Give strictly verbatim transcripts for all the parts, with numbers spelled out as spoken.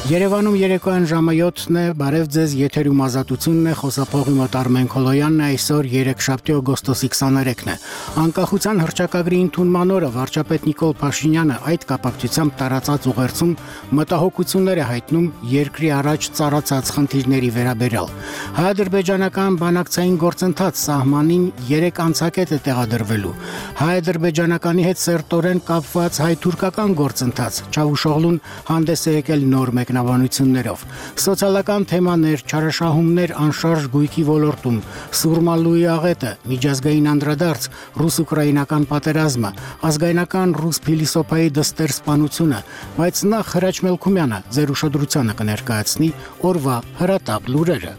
Երևանում երեկոյան ժամը յոթն է, բարև ձեզ, եթերում ազատությունն է, խոսափողի մոտ Արմեն Քոլոյանն է, այսօր երեքշաբթի օգոստոսի քսաներեքն է։ Անկախության հռչակագրի ընդունման օրը վարչապետ Նիկոլ Փաշինյանը այդ կապակցությամբ տարածած ուղերձում մտահոգություններ է հայտնում երկրի առաջ ծառացած խնդիրների վերաբերյալ։ Հայ-ադրբեջանական բանակցային գործընթաց սահմանին երեք անցակետ է տեղադրվելու։ Հայ-ադրբեջանականի հետ սերտորեն կապված հայ-թուրքական գործընթաց, Չավուշօղլուն հանդես է եկել նոր մեկնաբանություններով։ Սոցիալական թեմաներ, չարաշահումներ անշարժ գույքի ոլորտում, Սուրմալուի աղետը, միջազգային անդրադարձ, ռուս-ուկրաինական պատերազմը, ազգայնական ռուս փիլիսոփայի դստեր սպանությունը, բայց նախ Հրաչ Մելքումյանը ձեր ուշադրությանը կներկայացնի օրվա հրատապ լուրերը։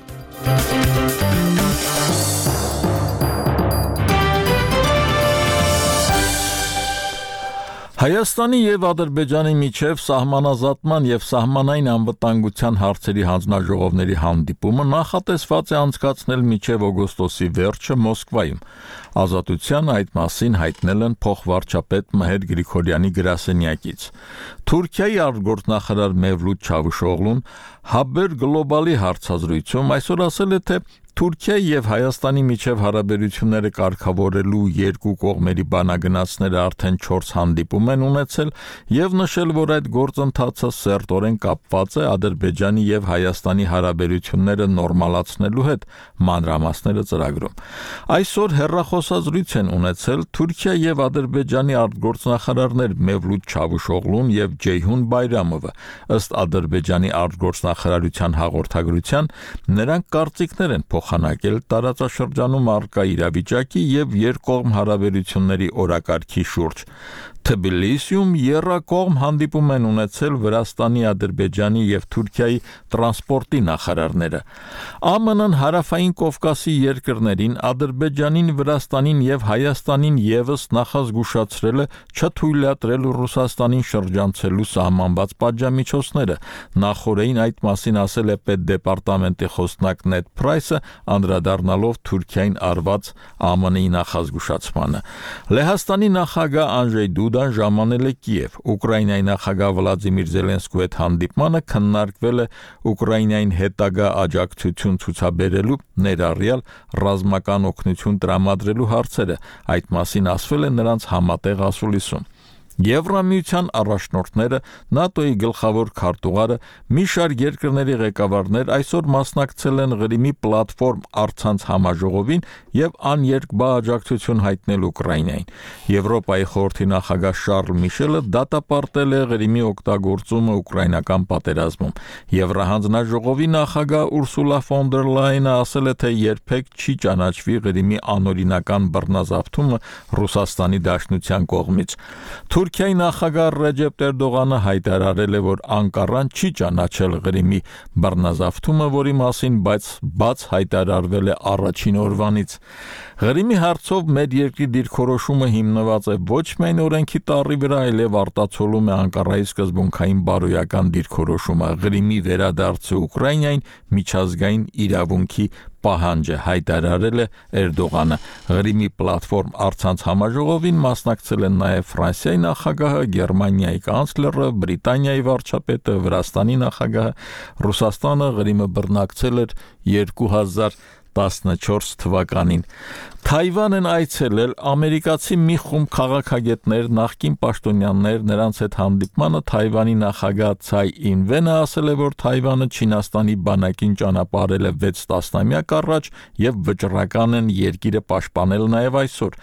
Հայաստանի և Ադրբեջանի միջև սահմանազատման և սահմանային անվտանգության հարցերի հանձնաժողովների հանդիպումը նախատեսված է անցկացնել մինչև օգոստոսի վերջը Մոսկվայում։ Ազատության այդ մասին հայտնել են փոխվարչապետ Մհեր Գրիգորյանի գրասենյակից։ Թուրքիայի արտգործնախարար Մևլութ Չավուշօղլուն Haber Global-ի հարցազրույցում այսօր ասել է, թե Թուրքիայի և Հայաստանի միջև հարաբերությունները կարգավորելու երկու կողմերի բանագնացները արդեն չորս հանդիպում են ունեցել և նշել, որ այդ գործընթացը սերտորեն կապված է Ադրբեջանի և Հայաստանի հարաբերությունները նորմալացնելու հետ, մանրամասները ծրագրում։ Այսօր հեռախոսազրույց են ունեցել Թուրքիա և Ադրբեջանի արտգործնախարարներ Մևլութ Չավուշօղլուն և Ջեյհուն Բայրամովը։ Ըստ Ադրբեջանի արտգործնախարարության հաղորդագրության, նրանք կարծիքներ են փոխանակել տարածաշրջանում առկա իրավիճակի և երկկողմ հարաբերությունների օրակարգի շուրջ։ Թբիլիսիում եռակողմ հանդիպում են ունեցել Վրաստանի, Ադրբեջանի և Թուրքիայի տրանսպորտի նախարարները։ ԱՄՆ-ն Հարավային Կովկասի երկրներին, Ադրբեջանին, Վրաստանին և Հայաստանին ևս նախազգուշացրել է չթույլատրել Ռուսաստանին շրջանցելու սահմանված պատժամիջոցները։ Նախօրեին այդ մասին ասել է Պետդեպարտամենտի խոսնակ Նեդ Փրայսը, անդրադառնալով Թուրքիային արված ԱՄՆ-ի նախազգուշացմանը։ Լեհաստանի նախագահ Անջեյ Դուդան ժամանել է Կիև։ Ուկրաինայի նախագահ Վլադիմիր Զելենսկու հետ հանդիպմանը քննարկվել է Ուկրաինային հետագա աջակցություն ցուցաբերելու, ներառյալ ռազմական օգնություն տրամադրելու հարցերը։ Այդ մասին ասվել է նրանց համատեղ ասուլիսում։ Եվրամիության առաջնորդները, ՆԱՏՕ-ի գլխավոր քարտուղարը, մի շարք երկրների ղեկավարներ այսօր մասնակցել են Ղրիմի պլատֆորմ առցանց համաժողովին և աներկբա աջակցություն հայտնել Ուկրաինային։ Եվրոպայի խորհրդի նախագահ Շարլ Միշելը դատապարտել է Ղրիմի օգտագործումը ուկրաինական պատերազմում։ Եվրահանձնաժողովի նախագահ Ուրսուլա ֆոն դեր Լայենը ասել է, թե երբեք չի ճանաչվի Ղրիմի անօրինական բռնազավթումը Ռուսաստանի Դաշնության կողմից։ Թուրքիայի նախագահ Ռեջեփ Էրդողանը հայտարարել է, որ Անկարան չի ճանաչել Ղրիմի բռնազավթումը, որի մասին բայց բաց հայտարարվել է առաջին օրվանից։ Ղրիմի հարցով մեր երկրի դիրքորոշումը հիմնված է ոչ միայն օրենքի տառի վրա, այլև արտացոլում է Անկարայի սկզբունքային բարոյական դիրքորոշումը։ Ղրիմի վերադարձը Ուկրաինային միջազգային իրավունքի պահանջ է, հայտարարել է Էրդողանը։ Ղրիմի պլատֆորմ առցանց համաժողովին մասնակցել են նաև Ֆրանսիայի նախագահը, Գերմանիայի կանցլերը, Բրիտանիայի վարչապետը, Վրաստանի նախագահը։ Ռուսաստանը Ղրիմը բռնակցել էր երկու հազար տասնչորս թվականին։ Թայվան են այցելել ամերիկացի մի խումբ քաղաքագետներ, նախկին պաշտոնյաներ, նրանց հետ հանդիպմանը Թայվանի նախագահ Ցայ Ինվենը ասել է, որ Թայվանը Չինաստանի բանակին ճանապարհել է վեց տասնամյակ առաջ և վճռական են երկիրը պաշտպանել նաև այսօր։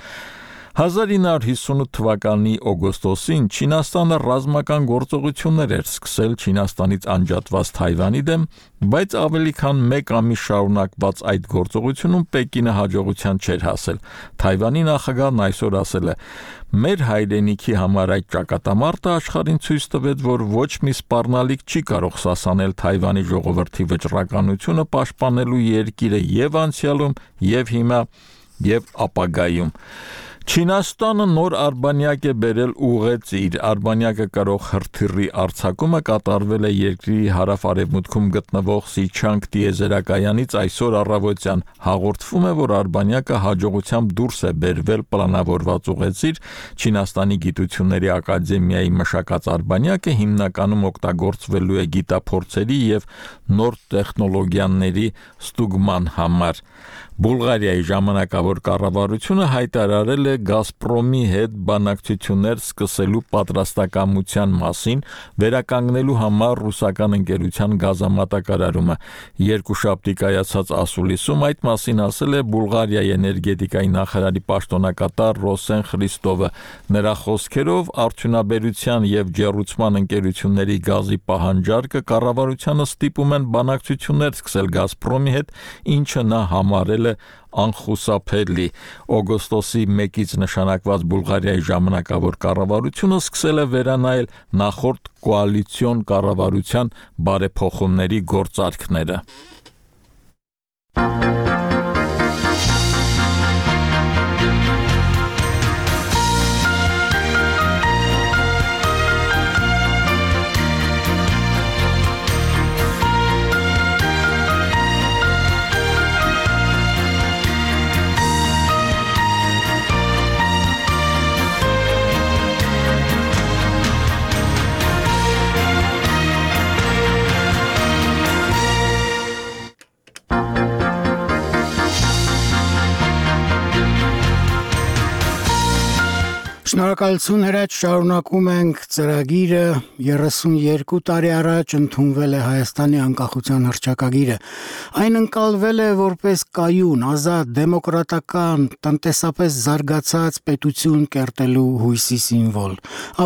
հազար ինը հարյուր հիսունութ թվականի օգոստոսին Չինաստանը ռազմական գործողություններ էր սկսել Չինաստանից անջատված Թայվանի դեմ, բայց ավելի քան մեկ ամիս շարունակված այդ գործողությունում Պեկինը հաջողության չէր հասել։ Թայվանի նախագահն այսօր ասել է. «Մեր հայրենիքի համար այդ ճակատամարտը աշխարհին ցույց տվեց, որ ոչ մի սպառնալիք չի կարող սասանել Թայվանի ժողովրդի վճռականությունը պաշտպանելու երկիրը և անցյալում, և հիմա, և ապագայում»։ Չինաստանը նոր արբանյակ է բերել ուղեծիր։ Արբանյակը կարող հրթիռի արձակումը կատարվել է երկրի հարավ-արևմուտքում գտնվող Սիչանգ տիեզերակայանից այսօր առավոտյան։ Հաղորդվում է, որ արբանյակը հաջողությամբ դուրս է բերվել պլանավորված ուղեծիր։ Չինաստանի գիտությունների ակադեմիայի մշակած արբանյակը հիմնականում օգտագործվելու է գիտափորձերի եւ նոր տեխնոլոգիաների ստուգման համար։ Բուլղարիայի ժամանակավոր կառավարությունը հայտարարել է Գազպրոմի հետ բանակցություններ սկսելու պատրաստակամության մասին, վերականգնելու համար ռուսական ընկերության գազամատակարարումը։ Երկուշաբթի կայացած ասուլիսում այդ մասին ասել է Բուլղարիայի էներգետիկայի նախարարի պաշտոնակատար Ռոսեն Խրիստովը։ Նրա խոսքերով արդյունաբերության եւ ջեռուցման ընկերությունների գազի պահանջարկը կառավարությանը ստիպում են բանակցություններ սկսել Գազպրոմի հետ, ինչը նա համարել է անխուսափելի։ Օգոստոսի մեկից նշանակված Բուլղարիայի ժամանակավոր կառավարությունը սկսել է վերանայել նախորդ կոալիցիոն կառավարության բարեփոխումների գործարքները։ Շնորհակալություն հրաչ, շարունակում ենք ծրագիրը։ երեսունյերկու տարի առաջ ընդունվել է Հայաստանի անկախության հռչակագիրը։ Այն ընկալվել է որպես կայուն, ազատ, դեմոկրատական, տնտեսապես զարգացած պետություն կերտելու հույսի սիմվոլ։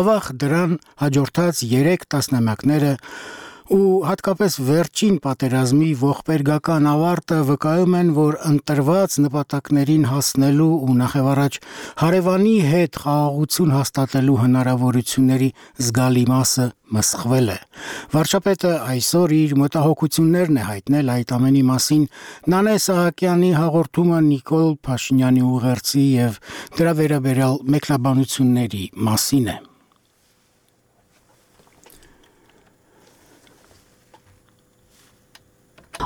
Ավաղ դրան հաջորդած երեք տասնամյակները ու հատկապես վերջին պատերազմի ողբերգական ավարտը վկայում են, որ ընտրված նպատակներին հասնելու ու նախևառաջ հարևանի հետ խաղաղություն հաստատելու հնարավորությունների զգալի մասը մսխվել է։ Վարչապետը այսօր իր մտահոգություններն է հայտնել այդ ամենի մասին։ Նանե Սահակյանի հաղորդումը Նիկոլ Փաշինյանի ուղերձի եւ դրա վերաբերյալ մեկնաբանությունների մասին է։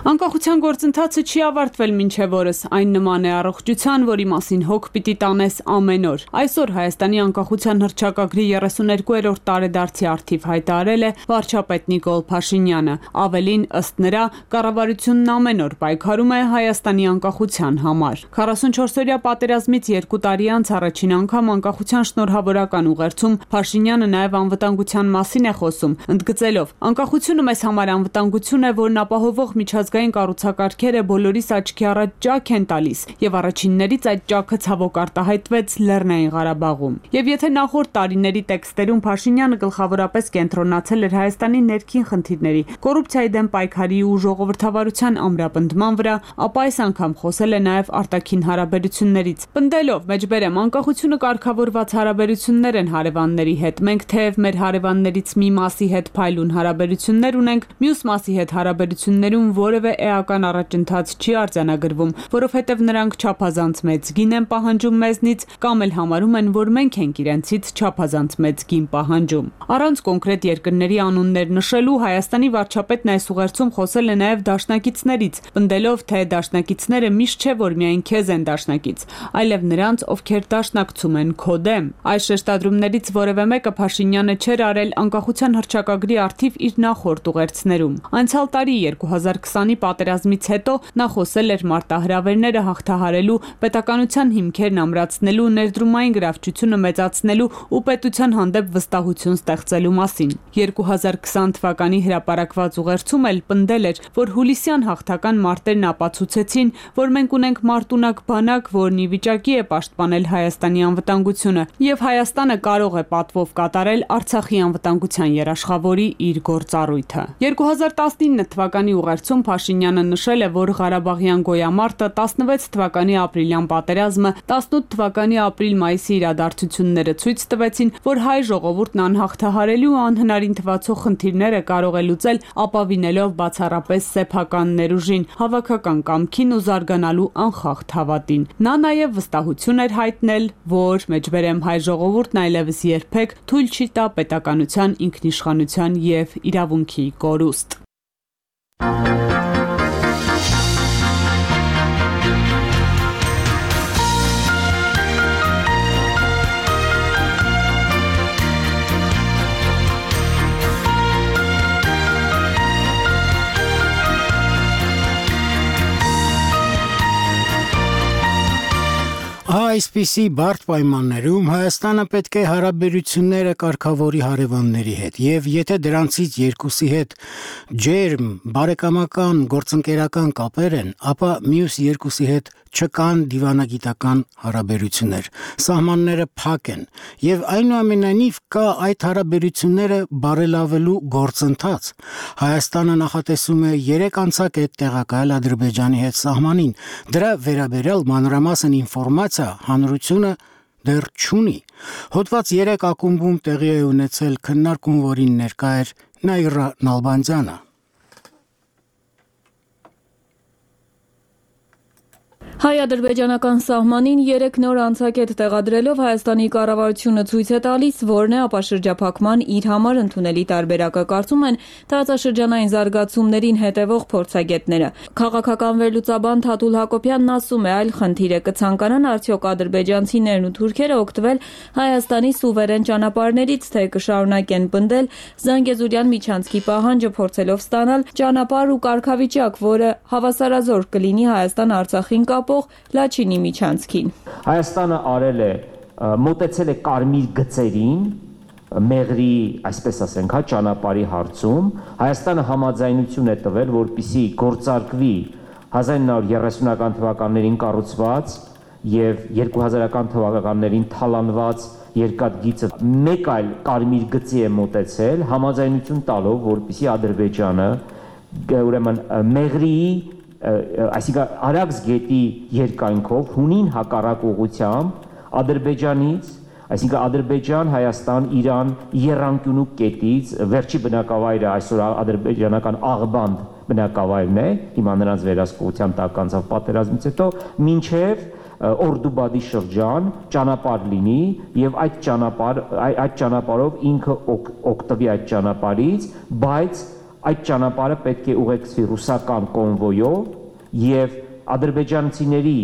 Անկախության գործընթացը չի ավարտվել մինչև օրս, այն նման է առողջության, որի մասին հոգ պիտի տանես ամեն օր։ Այսօր Հայաստանի անկախության հռչակագրի երեսուներկուերորդ տարեդարձի առթիվ հայտարարել է վարչապետ Նիկոլ Փաշինյանը։ Ավելին, ըստ նրա, կառավարությունն ամեն օր պայքարում է Հայաստանի անկախության համար։ քառասունչորսօրյա պատերազմից երկու տարի անց առաջին անգամ անկախության շնորհավորական ուղերձում Փաշինյանը նաև անվտանգության մասին է խոսում, ընդգծելով. «Անկախությունը մեզ համար անվտանգություն է, որն ապահովող միջազգային կառուցակարգերը բոլորիս աչքի առաջ ճաք են տալիս, եւ առաջիններից այդ ճաքը ցավոք արտահայտվեց Լեռնային Ղարաբաղում»։ Եվ եթե նախորդ տարիների տեքստերում Փաշինյանը գլխավորապես կենտրոնացել էր Հայաստանի ներքին խնդիրների, կոռուպցիայի դեմ պայքարի ու ժողովրդավարության ամրապնդման վրա, ապա այս անգամ խոսել է նաև արտաքին հարաբերություններից։ Պնդելով, մեջբերեմ, անկախությունը կարգավորված հարաբերություններ են հարևանների հետ։ Մենք թեև մեր հարևաններից մի մասի հետ փայլուն հարաբերություններ ունենք, մյուս մասի հետ հարաբերություններում որևէ էական առաջընթաց չի արձանագրվում, որովհետև նրանք չափազանց մեծ գին են պահանջում մեզնից կամ էլ համարում են, որ մենք ենք իրենցից չափազանց մեծ գին պահանջում։ Առանց կոնկրետ երկրների անուններ նշելու Հայաստանի վարչապետն այս ուղերձում խոսել է նաև դաշնակիցներից, պնդելով, թե դաշնակիցները միշտ չէ, որ միայն քեզ են դաշնակից, այլև նրանց, ովքեր դաշնակցում են քո դեմ։ Այս շեշտադրումներից որևէ մեկը Փաշինյանը չէր արել անկախության հռչակագրի առթիվ իր նախորդ ուղերձներում։ Անցյալ տարի երկու հազար քսանի պատերազմից հետո նա խոսել էր մարտահրավերները հաղթահարելու, պետականության հիմքերն ամրացնելու, ներդրումային գրավչությունը մեծացնելու ու պետության հանդեպ վստահություն ստեղծելու մասին։ երկու հազար քսան թվականի հրապարակված ուղերձում էլ պնդել էր, որ հուլիսյան հաղթական մարտերն ապացուցեցին, որ մենք ունենք մարտունակ բանակ, որն ի վիճակի է պաշտպանել Հայաստանի անվտանգությունը, եւ Հայաստանը կարող է պատվով կատարել Արցախի անվտանգության երաշխավորի իր գործառույթը։ երկու հազար տասնինը թվականի ուղերձում Փաշինյանը նշել է, որ Ղարաբաղյան գոյամարտը, տասնվեց թվականի ապրիլյան պատերազմը, տասնութ թվականի ապրիլ-մայիսի իրադարձությունները ցույց տվեցին, որ հայ ժողովուրդն անհաղթահարելի ու անհնարին թվացող խնդիրները կարող է լուծել ապավինելով բացառապես սեփական ներուժին, հավաքական կամքին ու զարգանալու անխախտ հավատին։ Նա նաև վստահություն էր հայտնել, որ մեջբերեմ հայ ժողովուրդն այլևս երբեք թույլ չի տա պետականության, ինքնիշխանության և իրավունքի կորուստ։ Այսպիսի բարդ պայմաններում Հայաստանը պետք է հարաբերությունները կարգավորի հարևանների հետ, եւ եթե դրանցից երկուսի հետ ջերմ, բարեկամական, գործընկերական կապեր են, ապա մյուս երկուսի հետ չկան դիվանագիտական հարաբերություններ, սահմանները փակ են, եւ այնուամենայնիվ կա այդ հարաբերությունները բարելավելու գործընթաց։ Հայաստանը նախատեսում է երեք անցակետ տեղակայել Ադրբեջանի հետ սահմանին, դրա վերաբերյալ մանրամասն ինֆորմացիա հանրությունը դեռ չունի։ Հոդված երեք ակումբում տեղի է ունեցել քննարկում, որին ներկա էր Նաիրա Նալբանդյանը։ Հայ-ադրբեջանական սահմանին երեք նոր անցակետ տեղադրելով Հայաստանի կառավարությունը ցույց է տալիս, որն է ապաշրջափակման իր համար ընդունելի տարբերակը, կարծում են տարածաշրջանային զարգացումներին հետևող փորձագետները։ Քաղաքական վերլուծաբան Թաթուլ Հակոբյանն ասում է, այլ խնդիր է, կցանկանան արդյոք ադրբեջանցիներն ու թուրքերը օգտվել Հայաստանի սուվերեն ճանապարհներից, թե կշարունակեն պնդել Զանգեզուրյան միջանցքի պահանջը, փորձելով ստանալ ճանապարհ ու կարգավիճակ, որը հավասարազոր կլինի Հայաստան-Արցախին կապ Լաչինի միջանցքին։ Հայաստանը արել է, մոտեցել է կարմիր գծերին, մեղրի, այսպես ասենք, հա, ճանապարհի հարցում, Հայաստանը համաձայնություն է տվել, որպեսզի գործարկվի հազար ինը հարյուր երեսունական թվականներին կառուցված եւ երկու հազարական թվականներին թալանված երկաթգիծը մեկ այլ կարմիր գծի է մոտեցել, համաձայնություն տալով, որպեսզի Ադրբեջանը ուրեմն մեղրի այսինքն Արաքս գետի երկայնքով հունին հակառակ ուղղությամբ Ադրբեջանից, այսինքն Ադրբեջան, Հայաստան, Իրան եռանկյունու կետից վերջի բնակավայրը այսօր ադրբեջանական Աղբանդ բնակավայրն է, հիմա նրանց վերահսկողության տակ անցավ պատերազմից հետո, մինչև Օրդուբադի շրջան ճանապարհ լինի եւ այդ ճանապարհ այդ ճանապարհով ինքը օգտվի այդ ճանապարհից, բայց այդ ճանապարհը պետք է ուղեկցվի ռուսական կոնվոյով եւ ադրբեջանցիների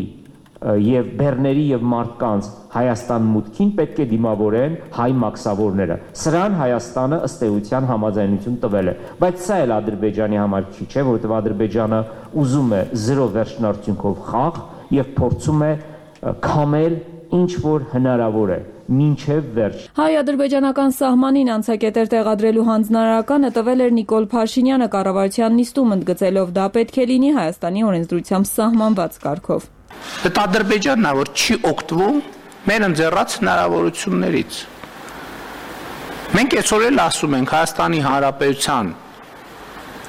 եւ բեռների եւ մարդկանց Հայաստան մուտքին պետք է դիմավորեն հայ մաքսավորները։ Սրան Հայաստանը ըստ էության համաձայնություն տվել է, բայց սա էլ Ադրբեջանի համար քիչ է, որովհետեւ Ադրբեջանը ուզում է զրո վերջնարդյունքով խաղ եւ փորձում է քամել ինչ որ հնարավոր է մինչև վերջ։ Հայ-ադրբեջանական սահմանին անցակետեր տեղադրելու հանձնարարականը տվել էր Նիկոլ Փաշինյանը կառավարության նիստում, ընդգծելով դա պետք է լինի Հայաստանի օրենսդրությամբ սահմանված կարգով։ Այդ Ադրբեջանն է, որ չի օգտվում մեր ընձեռած հնարավորություններից։ Մենք այսօր էլ ասում ենք Հայաստանի Հանրապետության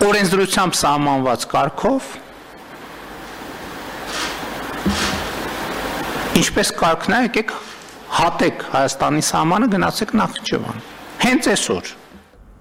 օրենսդրությամբ սահմանված կարգով ինչպես կարգն է, եկեք հատեք Հայաստանի սահմանը, գնացեք Նախիջևան։ Հենց այսօր։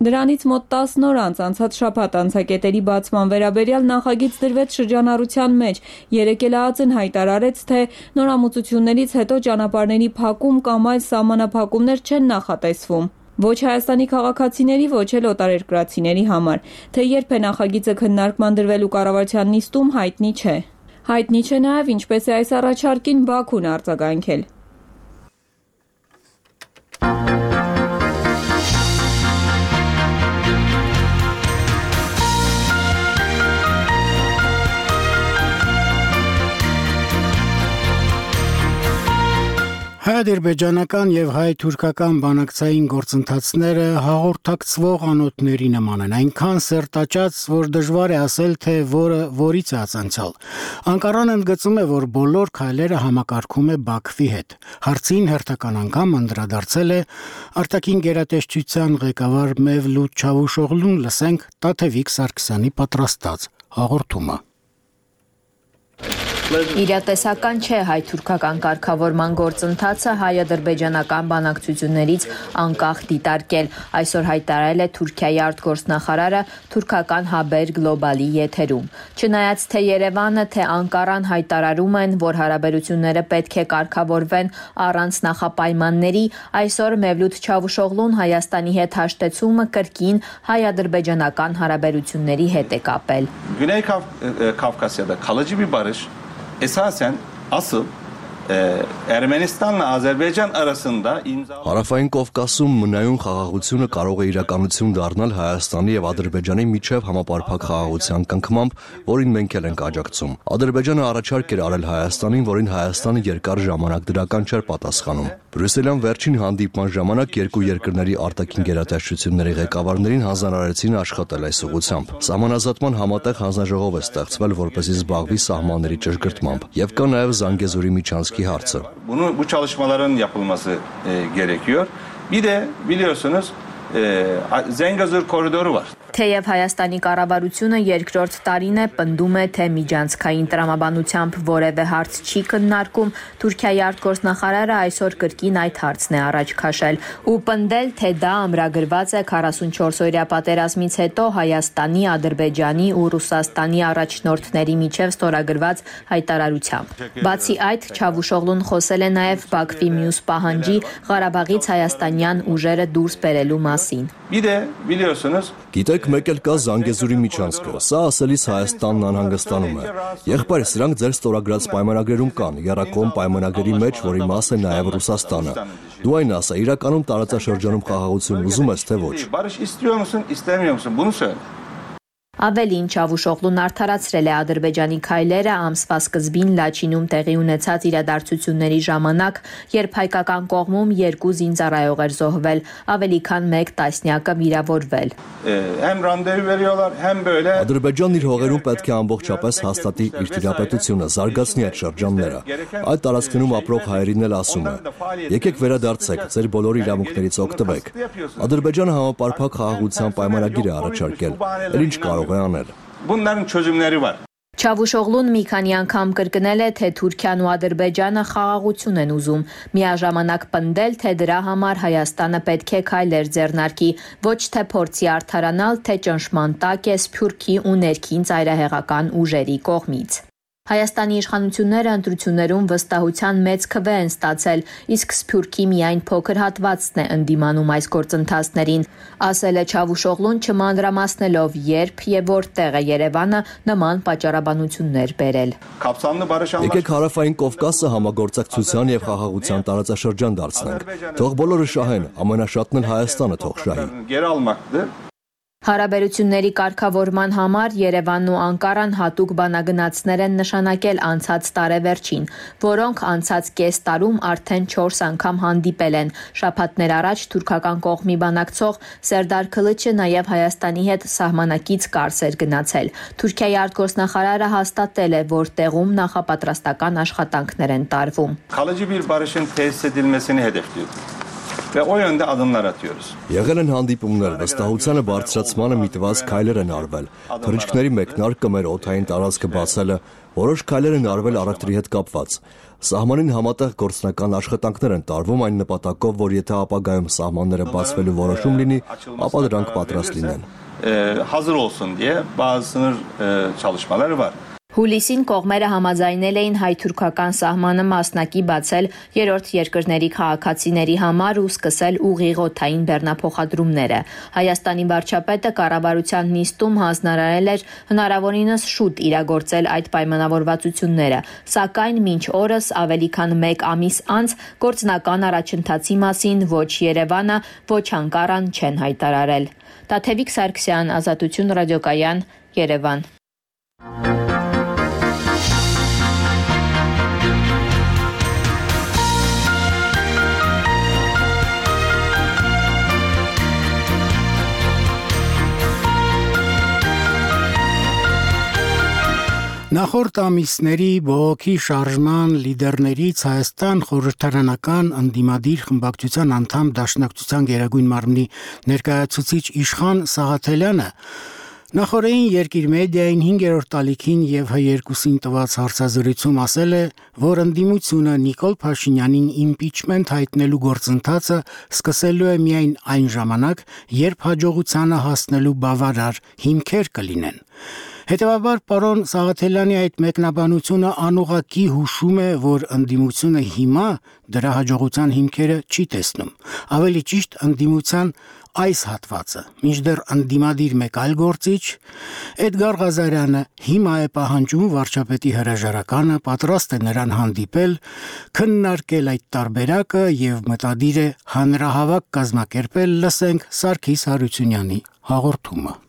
Դրանից մոտ տասն օր անց անցած շաբաթ անցակետերի բացման վերաբերյալ նախագիծ դրվեց շրջանառության մեջ։ Երեկ էլ ԱԱԾ-ն հայտարարեց, թե նորամուծություններից հետո ճանապարհների փակում կամ այլ սահմանափակումներ չեն նախատեսվում։ Ոչ Հայաստանի քաղաքացիների, ոչ էլ օտարերկրացիների համար, թե երբ է նախագիծը քննարկման դրվելու կառավարության նիստում, հայտնի չէ։ Հայտնի չէ նաև ինչպես է այս առաջարկին Բաքուն արձագանքել։ Հայ-ադրբեջանական եւ հայ-թուրքական բանակցային գործընթացները հաղորդակցվող անոթների նման են, այնքան սերտաճած, որ դժվար է ասել, թե որը որից է ածանցյալ։ Անկարան ընդգծում է, որ բոլոր քայլերը համակարգում է Բաքվի հետ։ Հարցին հերթական անգամ անդրադարձել է արտաքին գերատեսչության ղեկավար Մևլութ Չավուշօղլուն, լսենք Տաթևիկ Սարգսյանի պատրաստած հաղորդումը։ Իրատեսական չէ հայ-թուրքական կարգավորման գործընթացը հայ-ադրբեջանական բանակցություններից անկախ դիտարկել, այսօր հայտարարել է Թուրքիայի արտգործնախարարը թուրքական Haber Global-ի եթերում։ Չնայած թե Երևանը, թե Անկարան հայտարարում են, որ հարաբերությունները պետք է կարգավորվեն առանց նախապայմանների, այսօր Mevlut Çavuşoğlu'n Հայաստանի հետ հաշտեցումը կրկին հայ-ադրբեջանական հարաբերությունների հետ է կապել։ Güney Kafkasya'da kalıcı bir barış esasen asıl e, Ermenistanla Azerbaycan arasında imza Հարավային Կովկասում մնայուն խաղաղությունը կարող է իրականություն դառնալ Հայաստանի եւ Ադրբեջանի միջև համապարփակ խաղաղության կնքմամբ, որին մենք էլ ենք աջակցում։ Ադրբեջանը առաջարկ էր արել Հայաստանին, որին Հայաստանը երկար ժամանակ դրական չէր պատասխանում։ Բրյուսելյան վերջին հանդիպման ժամանակ երկու երկրների արտաքին գերատեսչությունների ղեկավարներին հանձնարարեցին աշխատել այս ուղղությամբ։ Սահմանազատման համատեղ հանձնաժողով է ստեղծվել, որպեսզի զբաղվի սահմանների ճշգրտմամբ, եւ կա նաեւ Զանգեզուրի միջանցքի հարցը։ Bunu bu çalışmaların yapılması e, gerekiyor. Bir de biliyorsunuz e, Zengezur koridoru var. Թեև Հայաստանի կառավարությունը երկրորդ տարին է պնդում է, թե միջանցքային տրամաբանությամբ որևէ հարց չի քննարկում, Թուրքիայի արտգործնախարարը այսօր կրկին այդ հարցն է առաջ քաշել ու պնդել, թե դա ամրագրված է քառասունչորս-օրյա պատերազմից հետո Հայաստանի, Ադրբեջանի ու Ռուսաստանի առաջնորդների միջև ստորագրված հայտարարությամբ։ Բացի այդ, Չավուշօղլուն խոսել է նաև Բաքվի մյուս պահանջի Ղարաբաղից հայաստանյան ուժերը դուրս բերելու մասին։ Bir de biliyorsunuz Գիտեք, մեկ էլ կա Զանգեզուրի միջանցքը։ Սա ասելիս Հայաստանն անհանգստանում է։ Եղբայր, սրանք ձեր ստորագրած պայմանագրերում կան, եռակողմ պայմանագրերի մեջ, որի մաս է նաև Ռուսաստանը։ Դու այն ասա, իրականում տարածաշրջանում խաղաղություն ուզում ես, թե ոչ։ barış istiyor musun, istemiyor musun? Bunu söyle. Ավելին Չավուշօղլուն արդարացրել է Ադրբեջանի քայլերը ամսվա սկզբին Լաչինում տեղի ունեցած իրադարձությունների ժամանակ, երբ հայկական կողմում երկու զինծառայող էր զոհվել, ավելի քան մեկ տասնյակը վիրավորվել։ Hem randevu veriyorlar, hem böyle Ադրբեջանն իր հողերում պետք է ամբողջապես հաստատի իր տիրապետությունը, զարգացնի այդ շրջանները։ Այդ տարածքներում ապրող հայերին էլ ասում է. եկեք վերադարձեք, ձեր բոլոր իրավունքներից օգտվեք։ Ադրբեջանը համապարփակ խաղաղության պայմանագիր է առաջարկել։ Էլ ինչ կարող է անել։ bunların çözümleri var. Չավուշօղլուն մի քանի անգամ կրկնել է, թե Թուրքիան ու Ադրբեջանը խաղաղություն են ուզում, միաժամանակ պնդել, թե դրա համար Հայաստանը պետք է քայլեր ձեռնարկի, ոչ թե փորձի արդարանալ, թե ճնշման տակ է Սփյուռքի ու ներքին ծայրահեղական ուժերի կողմից։ Հայաստանի իշխանությունները ընտրություններում վստահության մեծ քվե են ստացել, իսկ Սփյուռքի միայն փոքր հատվածն է ընդդիմանում այս գործընթացներին, ասել է Չավուշօղլուն, չմանրամասնելով երբ եւ որտեղ է Երևանը նման պատճառաբանություններ բերել։ Եկեք Հարավային Կովկասը համագործակցության եւ խաղաղության տարածաշրջան դարձնենք։ Թող բոլորը շահեն, ամենաշատն էլ Հայաստանը թող շահի։ Հարաբերությունների կարգավորման համար Երևանն ու Անկարան հատուկ բանագնացներ են նշանակել անցած տարեվերջին, որոնք անցած կես տարում արդեն չորս անգամ հանդիպել են։ Շաբաթներ առաջ թուրքական կողմի բանակցող Սերդար Քլիչը նաև Հայաստանի հետ սահմանակից կարս էր գնացել։ Թուրքիայի արտգործնախարարը հաստատել է, որ տեղում նախապատրաստական աշխատանքներ են տարվում։ Kalıcı bir barışın tesis edilmesini hedefliyor. Ve o yönde adımlar atıyoruz. Եղել են հանդիպումներ, վստահությանը բարձրացմանը միտված քայլեր են արվել։ Թռիչքների մեկնարկը մեր օդային տարածքը բացելը, որոշ քայլեր են արվել առևտրի հետ կապված։ Սահմանին համատեղ գործնական աշխատանքներ են տարվում այն նպատակով, որ եթե ապագայում սահմանները բացվելու որոշում լինի, ապա դրանք պատրաստ լինեն։ Hazır olsun diye bazı sınır çalışmaları var. Հուլիսին կողմերը համաձայնել էին հայ-թուրքական սահմանը մասնակի բացել երրորդ երկրների քաղաքացիների համար ու սկսել ուղիղ օդային բեռնափոխադրումները։ Հայաստանի վարչապետը կառավարության նիստում հանձնարարել էր հնարավորինս շուտ իրագործել այդ պայմանավորվածությունները, սակայն մինչ օրս ավելի քան մեկ ամիս անց գործնական առաջընթացի մասին ոչ Երևանը, ոչ Անկարան չեն հայտարարել։ Տաթևիկ Սարգսյան, Ազատություն ռադիոկայան, Երևան։ Նախորդ ամիսների բողոքի շարժման լիդերներից Հայաստան խորհրդարանական ընդդիմադիր խմբակցության անդամ Դաշնակցության գերագույն մարմնի ներկայացուցիչ Իշխան Սաղաթելյանը Նախորդին Երկիր մեդիային հինգերորդ տալիքին եւ Հ երկուսին տված հարցազրույցում ասել է, որ ընդդիմությունը Նիկոլ Փաշինյանին իմպիչմենտ հայտնելու գործընթացը սկսելու է միայն այն ժամանակ, երբ հաջողությանը հասնելու բավարար հիմքեր կլինեն։ Հետևաբար պարոն Սաղաթելյանի այդ մեկնաբանությունը անուղղակի հուշում է, որ ընդդիմությունը հիմա դրա հաջողության հիմքերը չի տեսնում։ Ավելի ճիշտ ընդդիմության այս հատվածը, մինչդեռ ընդդիմադիր մեկ այլ գործիչ, Էդգար Ղազարյանը հիմա է պահանջում վարչապետի հրաժարականը, պատրաստ է նրան հանդիպել, քննարկել այդ տարբերակը եւ մտադիր է հանրահավաք կազմակերպել, լսենք Սարգիս Հարությունյանի հաղորդումը։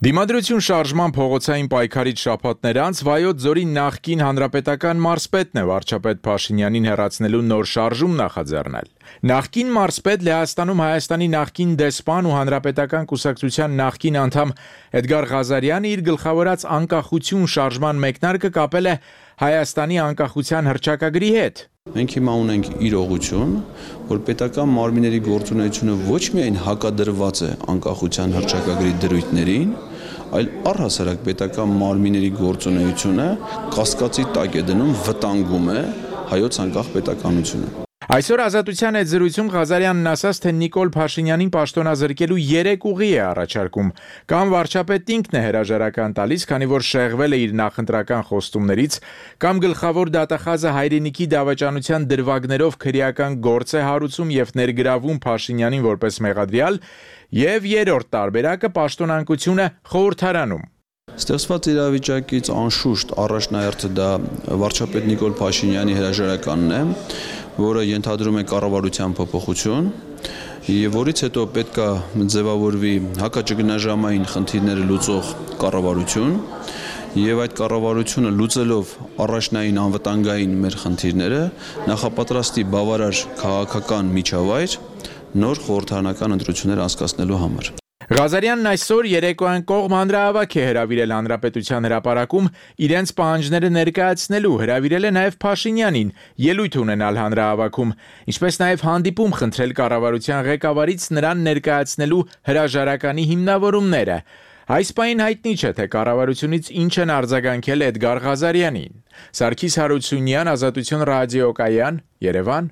Դիմադրություն շարժման փողոցային պայքարից շաբաթներ անց Վայոց ձորի նախկին հանրապետական մարզպետն է վարչապետ Փաշինյանին հեռացնելու նոր շարժում նախաձեռնել։ Նախկին մարզպետ Լեհաստանում Հայաստանի նախկին դեսպան ու հանրապետական կուսակցության նախկին անդամ Էդգար Ղազարյանը իր գլխավորած անկախություն շարժման մեկնարկը կապել է Հայաստանի անկախության հռչակագրի հետ։ Մենք հիմա ունենք իրողություն, որ պետական մարմինների գործունեությունը ոչ միայն հակադրված է անկախության հռչակագրի դրույթներին, այլ առհասարակ պետական մարմինների գործունեությունը կասկածի տակ է դնում, վտանգում է հայոց անկախ պետականությունը։ Այսօր Ազատության հետ զրույցում Ղազարյանն ասաց, թե Նիկոլ Փաշինյանին պաշտոնազրկելու երեք ուղի է առաջարկում։ Կամ վարչապետն ինքն է հրաժարական տալիս, քանի որ շեղվել է իր նախընտրական խոստումներից, կամ գլխավոր դատախազը հայրենիքի դավաճանության դրվագներով քրեական գործ է հարուցում եւ ներգրավում Փաշինյանին որպես մեղադրյալ, եւ երրորդ տարբերակը պաշտոնանկությունը խորհրդարանում։ Ստեղծված իրավիճակից անշուշտ առաջնահերթը դա վարչապետ Նիկոլ Փաշինյանի հրաժարականն է, որը ենթադրում է կառավարության փոփոխություն, եւ որից հետո պետք է ձևավորվի հակաճգնաժամային խնդիրները լուծող կառավարություն, եւ այդ կառավարությունը լուծելով առաջնային անվտանգային մեր խնդիրները նախապատրաստի բավարար քաղաքական միջավայր նոր խորհրդարանական ընտրություններ անցկացնելու համար։ Ղազարյանն այսօր երեկոյան կողմ հանրահավաք է հրավիրել Հանրապետության հրապարակում իրենց պահանջները ներկայացնելու, հրավիրել է նաև Փաշինյանին ելույթ ունենալ հանրահավաքում, ինչպես նաև հանդիպում խնդրել կառավարության ղեկավարից նրան ներկայացնելու հրաժարականի հիմնավորումները։ Այս պահին հայտնի չէ, թե կառավարությունից ինչ են արձագանքել Էդգար Ղազարյանին։ Սարգիս Հարությունյան, Ազատություն ռադիոկայան, Երևան։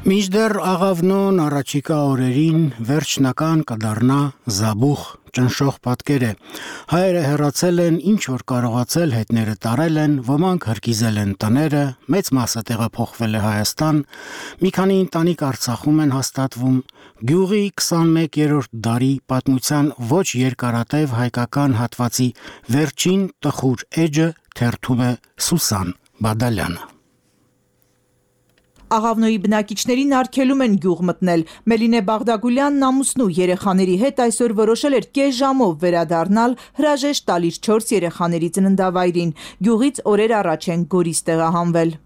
Մինչդեռ աղավնոն առաջիկա օրերին վերջնական կդառնա զաբուխ ճնշող պատկեր է։ Հայերը հեռացել են, ինչ որ կարողացել հետները տարել են, ոմանք հրկիզել են տները, մեծ մասը տեղափոխվել է Հայաստան, մի քանի ընտանիք Արցախում են հաստատվում։ Գյուղի քսանմեկերորդ դարի պատմության ոչ երկարատև հայկական հատվածի վերջին տխուր էջը թերթում է Սուսան Բադալյանը։ Աղավնոյի բնակիչներին արգելում են գյուղ մտնել։ Մելինե Բաղդագուլյանն ամուսնու երեխաների հետ այսօր որոշել էր կես ժամով վերադառնալ հրաժեշտ տալիս չորս երեխաների ծննդավայրին։ Գյուղից օրեր առաջ են Գորիս տեղահանվել։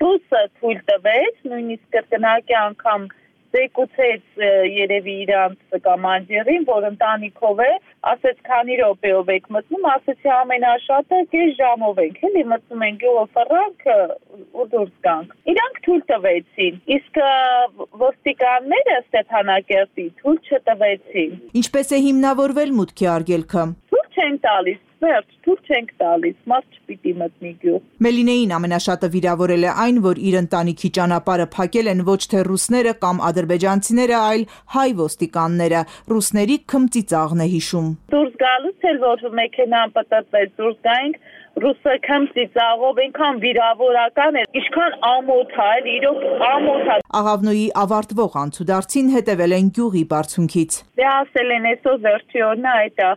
Ռուսը թույլ տվեց, նույնիսկ կրկնակի անգամ զեկուցեց երևի իրանց կամանդիրին, որ ընտանիքով է, ասեց քանի րոպեով եք մտնում, ասեցի ամենաշատը կես ժամով ենք, էլի մտնում ենք գյուղը ֆրանք ու դուրս գանք։ Իրանք թույլ տվեցին, իսկ ոստիկանները Ստեփանակերտի թույլ չտվեցին։ Ինչպես է հիմնավորվել մուտքի արգելքը։ Թույլ չեն տալիս, վերջ, թույլ չենք տալիս, մարդ չպիտի մտնի գյուղ։ Մելինեին ամենաշատը վիրավորել է այն, որ իր ընտանիքի ճանապարհը փակել են ոչ թե ռուսները կամ ադրբեջանցիները, այլ հայ ոստիկանները։ Ռուսների քմծիծաղն է հիշում։ Դուրս գալուց էլ որ մեքենան պտտվեց, դուրս գայինք, ռուսը քմծիծաղով այնքան վիրավորական է, ինչքան ամոթ է, իրոք ամոթ է։ Աղավնոյի ավարտվող անցուդարձին հետևել են գյուղի բարձունքից։ Դե ասել են այսօր վերջի օրն է այդ է։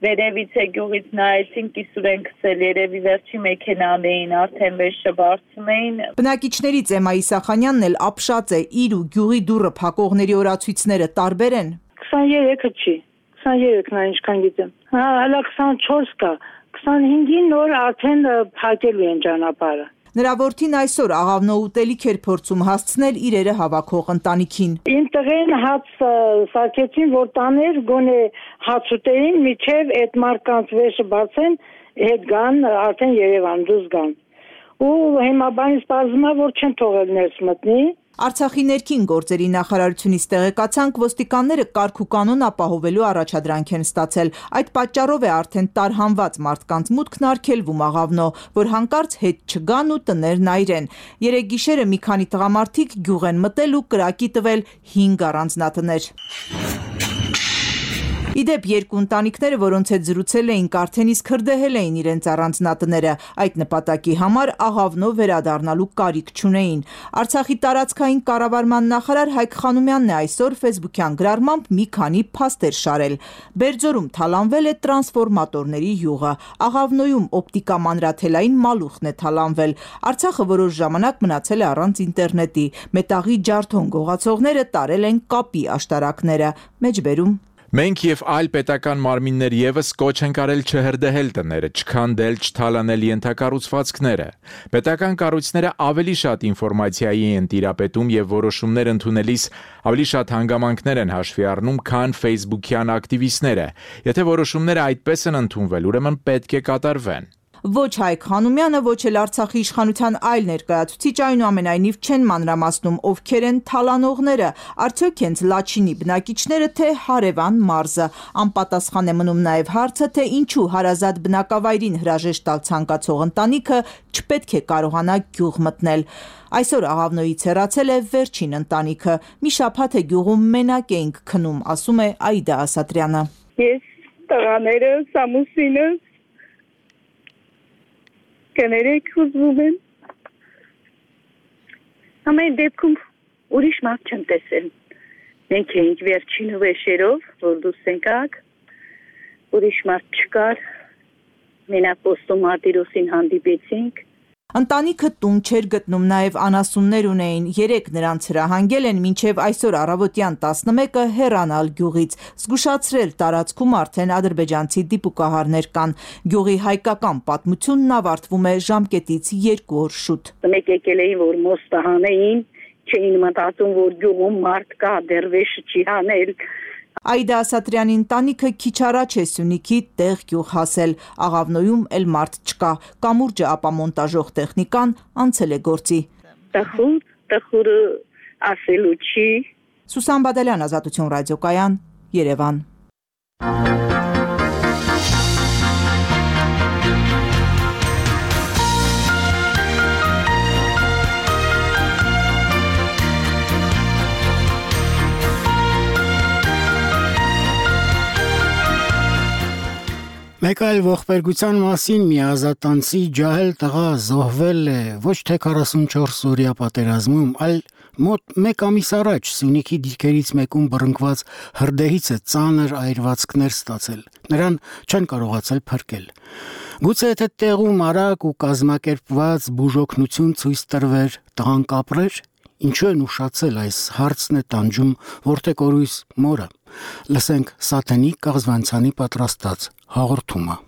Վերևից է գյուղից նայեցին, կիսուր են քսել, երևի վերջի մեքենան էին, արդեն վերջը բարձում էին։ Բնակիչներից Էմմա Իսախանյանն էլ ապշած է, իր ու գյուղի դուռը փակողների օրացույցները տարբեր են։ քսաներեքը չի, քսաներեքն է ինչքան գիտեմ։ Հա, հələ քսանչորս կա, քսանհինգին նոր արդեն փակելու են ճանապարհը։ Նրա որդին այսօր աղավնո ուտելիք էր փորձում հասցնել իրերը հավաքող ընտանիքին։ Իմ տղեն հաց սարքեցին, որ տաներ գոնե հաց ուտեին, միջև այդ մարկանց վեշը բացեն, հետ գան, արդեն Երևան դուրս գան։ Ու հիմա բանից պարզվում է, որ չեն թողել ներս մտնի, Արցախի ներքին գործերի նախարարությունից տեղեկացանք, ոստիկանները կարգ ու կանոն ապահովելու առաջադրանք են ստացել։ Այդ պատճառով է արդեն տարհանված մարդկանց մուտքն արգելվում աղավնո, որ հանկարծ հետ չգան ու տներն այրեն։ Երեկ գիշերը մի քանի տղամարդիկ գյուղ են մտել ու կրակի տվել հինգ առանձնատներ։ Իդեպ երկու ընտանիքները, որոնց հետ զրուցել էինք, արդեն իսկ հրդեհել էին իրենց առանձնատները, այդ նպատակի համար աղավնո վերադառնալու կարիք չունեին։ Արցախի տարածքային կառավարման նախարար Հայկ Խանոմյանն է այսօր ֆեյսբուքյան գրառմամբ մի քանի փաստեր շարել։ Բերձորում թալանվել է տրանսֆորմատորների յուղը, Աղավնոյում օպտիկա մանրաթելային մալուխն է թալանվել։ Արցախը որոշ ժամանակ մնացել է առանց ինտերնետի, մետաղի ջարդոն գողացողները տարել են կապի աշտարակները։ Մեջբերում Մենք եւ այլ պետական մարմիններ եւս կոչ են արել չհրդեհել տները, չքանդել, չթալանել ենթակառուցվածքները։ Պետական կառույցները ավելի շատ ինֆորմացիայի են տիրապետում եւ որոշումներ ընդունելիս ավելի շատ հանգամանքներ են հաշվի առնում, քան ֆեյսբուքյան ակտիվիստները։ Եթե որոշումները այդպես են ընդունվել, ուրեմն պետք է կատարվեն։ Ոչ Հայկ Խանոմյանը, ոչ էլ Արցախի իշխանության այլ ներկայացուցիչ այնուամենայնիվ չեն մանրամասնում ովքեր են թալանողները, արդյոք հենց Լաչինի բնակիչները, թե հարևան մարզը։ Անպատասխան է մնում նաև հարցը, թե ինչու հարազատ բնակավայրին հրաժեշտ տալ ցանկացող ընտանիքը չպետք է կարողանա գյուղ մտնել։ Այսօր Աղավնոյից հեռացել է վերջին ընտանիքը։ Մի շաբաթ է գյուղում մենակ էինք քնում, ասում է Աիդա Ասատրյանը։ Ես տղաներս, ամուսինս կներեք ուզում եմ։ Ամեն դեպքում ուրիշ մարդ չեմ տեսել։ Մենք էինք վերջին վեշերով, որ դուրս եկանք, ուրիշ մարդ չկար, մենակ ոստում արտիրոսին հանդիպեցինք։ Ընտանիքը տուն չէր գտնում, նաև անասուններ ունեին, երեք նրանց հրահանգել են մինչև այսօր առավոտյան տասնմեկը հեռանալ գյուղից, զգուշացրել տարածքում արդեն ադրբեջանցի դիպուկահարներ կան։ Գյուղի հայկական պատմությունն ավարտվում է ժամկետից երկու օր շուտ։ Մեկ եկել էին, որ մոստը հանեին, չէին մտածում, որ գյուղում մարդ կա, դերվեշը չի հանել։ Աիդա Ասատրյանի ընտանիքը քիչ առաջ է Սյունիքի տեղ գյուղ հասել, Աղավնոյում էլ մարդ չկա, կամուրջը ապամոնտաժող տեխնիկան անցել է գործի։ Տխուր, տխուրը ասելու չի։ Սուսան Բադալյան, Ազատություն ռադիոկայան, Երևան։ Մեկ այլ ողբերգության մասին մի ազատանցի ջահել տղա զոհվել է ոչ թե քառասունչորս օրյա պատերազմում, այլ մոտ մեկ ամիս առաջ Սյունիքի դիրքերից մեկում բռնկված հրդեհից է ծանր այրվածքներ ստացել։ Նրան չեն կարողացել փրկել։ Գուցե եթե տեղում արագ ու կազմակերպված բուժօգնություն ցույց տրվեր, տղան կապրեր, ինչու են ուշացել, այս հարցն է տանջում Որտեկ Օրույս մորը։ Լսենք Սաթենի Կաղզվանցյանի պատրաստած հաղորդումը։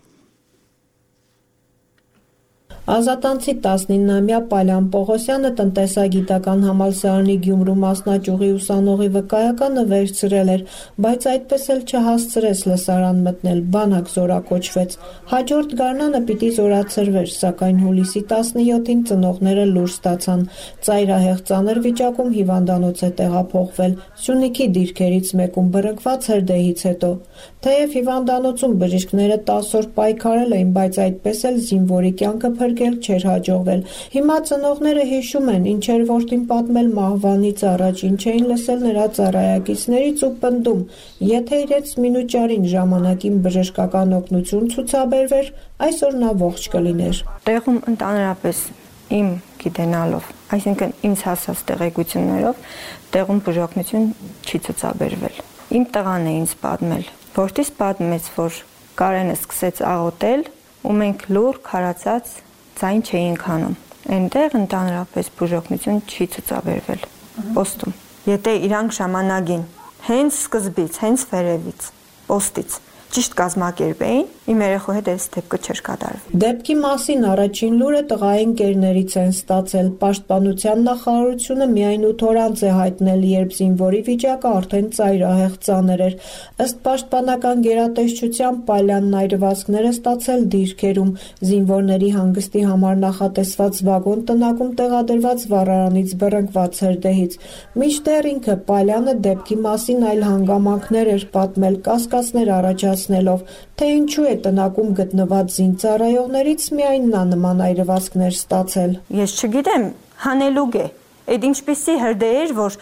Ազատանցի տասնիննամյա Պալյան Պողոսյանը տնտեսագիտական համալսարանի Գյումրու մասնաճյուղի ուսանողի վկայականը վերցրել էր, բայց այդպես էլ չհասցրեց լսարան մտնել, բանակ զորակոչվեց։ Հաջորդ գարնանը պիտի զորացրվեր, սակայն հուլիսի տասնյոթին ծնողները լուր ստացան։ Ծայրահեղ ծանր վիճակում հիվանդանոց է տեղափոխվել, Սյունիքի դիրքերից մեկում բռնկված հրդեհից հետո։ Թեև հիվանդանոցում բժիշկները տասը օր պայքարել էին, բայց այդպես էլ զինվորի կյանքը փրկել չէր հաջողվել։ Հիմա ծնողները հիշում են, ինչ էր որդին պատմել մահվանից առաջ, ինչ էին լսել նրա ծառայակիցներից ու պնդում, եթե իրենց մինուճարին ժամանակին բժշկական օգնություն ցուցաբերվեր, այսօր նա ողջ կլիներ։ Տեղում ընդհանրապես իմ գիտենալով, այսինքն ինձ հասած տեղեկություններով, տեղում բժշկություն չի ցուցաբերվել։ Իմ տղան է ինձ պատմել, որդիս պատմեց, որ Կարենը սկսեց աղոթել ու մենք լուր քարացած ձայն չէինք անում։ Այնտեղ ընդհանրապես բուժօգնություն չի ցուցաբերվել պոստում։ Եթե իրանք ժամանակին հենց սկզբից, հենց վերևից, պոստից ճիշտ կազմակերպեին, իմ երեխու հետ այս դեպքը չէր կատարվի։ Դեպքի մասին առաջին լուրը տղայի ընկերներից են ստացել։ Պաշտպանության նախարարությունը միայն ութ օր անց է հայտնել, երբ զինվորի վիճակը արդեն ծայրահեղ ծանր էր։ Ըստ պաշտպանական գերատեսչության Պալյանն այրվածքներ է ստացել դիրքերում։ Զինվորների հանգստի համար նախատեսված վագոն տնակում տեղադրված վառարանից բռնկված էր դեհից։ Մինչդեռ ինքը Պալյանը դեպքի մասին այլ հանգամանքներ էր պատմել, կասկածներ առաջացնելով, թե ինչու է տնակում գտնված զինծառայողներից միայն նա նման այրվածքներ ստացել։ Ես չգիտեմ, հանելուկ է։ Այդ ինչպիսի հրդեհ էր, որ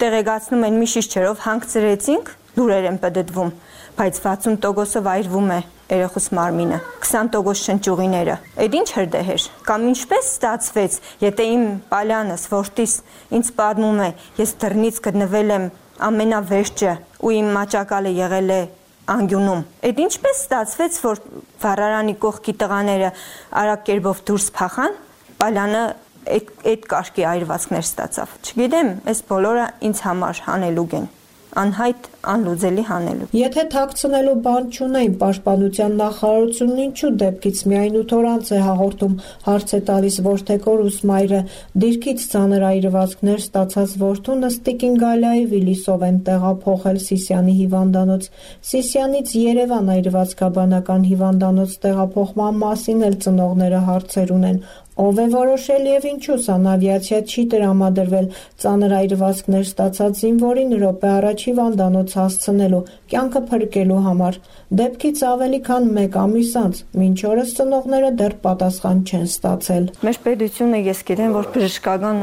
տեղեկացնում են մի շիշ-չերով հանգցրեցինք, լուրեր են պտտվում, բայց վաթսուն տոկոսով այրվում է երեխուս մարմինը, քսան տոկոս շնչուղիները։ Այդ ինչ հրդեհ էր։ Կամ ինչպես ստացվեց, եթե իմ Պալյանս, որդիս ինձ պատմում է, ես դռնից գտնվել եմ ամենավերջը ու իմ մաճակալը եղել է անկյունում։ Այդ ինչպես ստացվեց, որ վառարանի կողքի տղաները արագ կերպով դուրս փախան, Պալյանը այդ կարգի այրվածքներ ստացավ։ Չգիտեմ, այս բոլորը ինձ համար հանելուկ են, անհայտ, անլուծելի հանելուկ։ Եթե թաքցնելու բան չունեին, պաշտպանության նախարարությունն ինչու դեպքից միայն ութ օր անց է հաղորդում, հարց է տալիս որդեկորուս մայրը։ Դիրքից ծանր այրվածքներ ստացած որդուն Տիկին Գալիայի Վիլիսով են տեղափոխել Սիսիանի հիվանդանոց։ Սիսիանից Երևան այրվածքաբանական հիվանդանոց տեղափոխման մասին էլ ծնողները հարցեր ունեն։ Ով է որոշել եւ ինչու սանավիացիա չի տրամադրվել ծանր այրվածքներ ստացած զինվորին րոպե առաջ հիվանդանոց հասցնելու, կյանքը փրկելու համար։ Դեպքից ավելի քան մեկ ամիս անց, մինչ օրս ծնողները դեռ պատասխան չեն ստացել։ Մեր պետությունը ես գիտեմ, որ բժշկական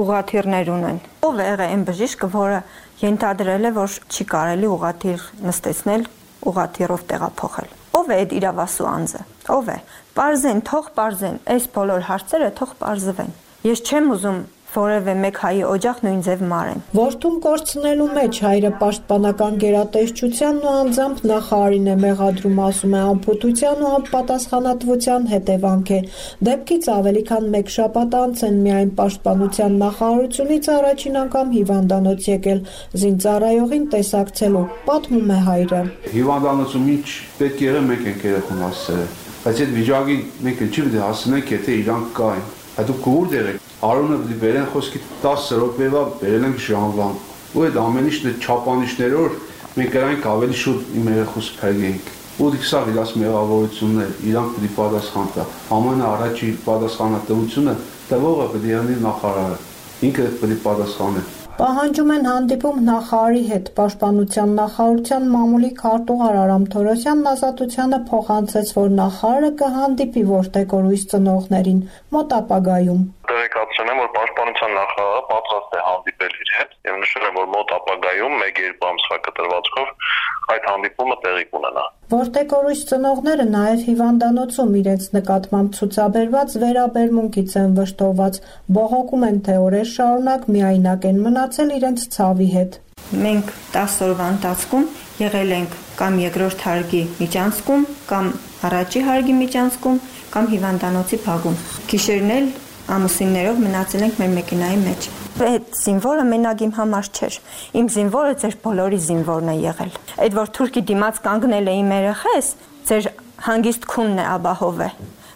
ուղղաթիռներ ունեն։ Ով է եղել այն բժիշկը, որը ենթադրել է, որ չի կարելի ուղղաթիռ նստեցնել, ուղղաթիռով տեղափոխել։ Ով է այդ իրավասու անձը։ Ով է։ Պարզեն, թող պարզեն, այս բոլոր հարցերը թող պարզվեն։ Ես չեմ ուզում որևէ մեկ հայի օջախ նույն ձև մարեն։ Որդուն կորցնելու մեջ հայրը պաշտպանական գերատեսչությանն ու անձամբ նախարարին է մեղադրում, ասում է, անփութության ու անպատասխանատվության հետևանք է։ Դեպքից ավելի քան մեկ շաբաթ անց են միայն պաշտպանության նախարարությունից առաջին անգամ հիվանդանոց եկել զինծառայողին տեսակցելու, պատմում է հայրը։ Հիվանդանոցում ինչ պետք եղել մենք ենք երեխուն հասցրել, բայց այդ վիճակին մենք չի պետք է հասնենք, եթե իրանք կային։ Այդ դուք կուր դերեք, Արոնը դի վերեն խոսքի տասը րոպեվա վերել ենք ժամվան։ Ու այդ ամեն ինչն է չափանիշներով մենք գրանք ավելի շուտ իմ երեխուս փրկենք։ Ու դիք սա իրաց մեղավորությունն է, իրանք պետք է պատասխան տա։ Ամենաառաջի պատասխանատվությունը տվողը պետք է լինի նախարարը։ Ինքը պետք է պատասխանի։ Պահանջում են հանդիպում նախարարի հետ։ Պաշտպանության նախարարության մամուլի քարտուղար Արամ Թորոսյանն Ազատությանը փոխանցեց, որ նախարարը կհանդիպի որդեկորույս ծնողներին մոտ ապագայում։ Տեղեկացրել եմ, որ պաշտպանության նախարարը պատրաստ է հանդիպել իր հետ եւ նշել եմ, որ մոտ ապագայում մեկ-երկու ամսվա կտրվածքով այդ հանդիպումը տեղի կունենա։ Որդեկորույս ծնողները նաև հիվանդանոցում իրենց նկատմամբ ցուցաբերված վերաբերմունքից են վշտոված, բողոքում են, թե օրեր շարունակ միայնակ են մնացել իրենց ցավի հետ։ Մենք տասը օրվա ընթացքում եղել ենք կամ երկրորդ հարգի միջանցքում, կամ առաջի հարգի միջանցքում, կամ հիվանդանոցի փակում։ Գիշերն էլ ամուսիններով մնացել ենք մեր մեքենայի մեջ։ Այդ զինվորը մենակ իմ համար չէր։ Իմ զինվորը ձեր բոլորի զինվորն է եղել։ Այդ որ թուրքի դիմաց կանգնել է իմ երեխես, ձեր հանգիստ քունն է ապահով է,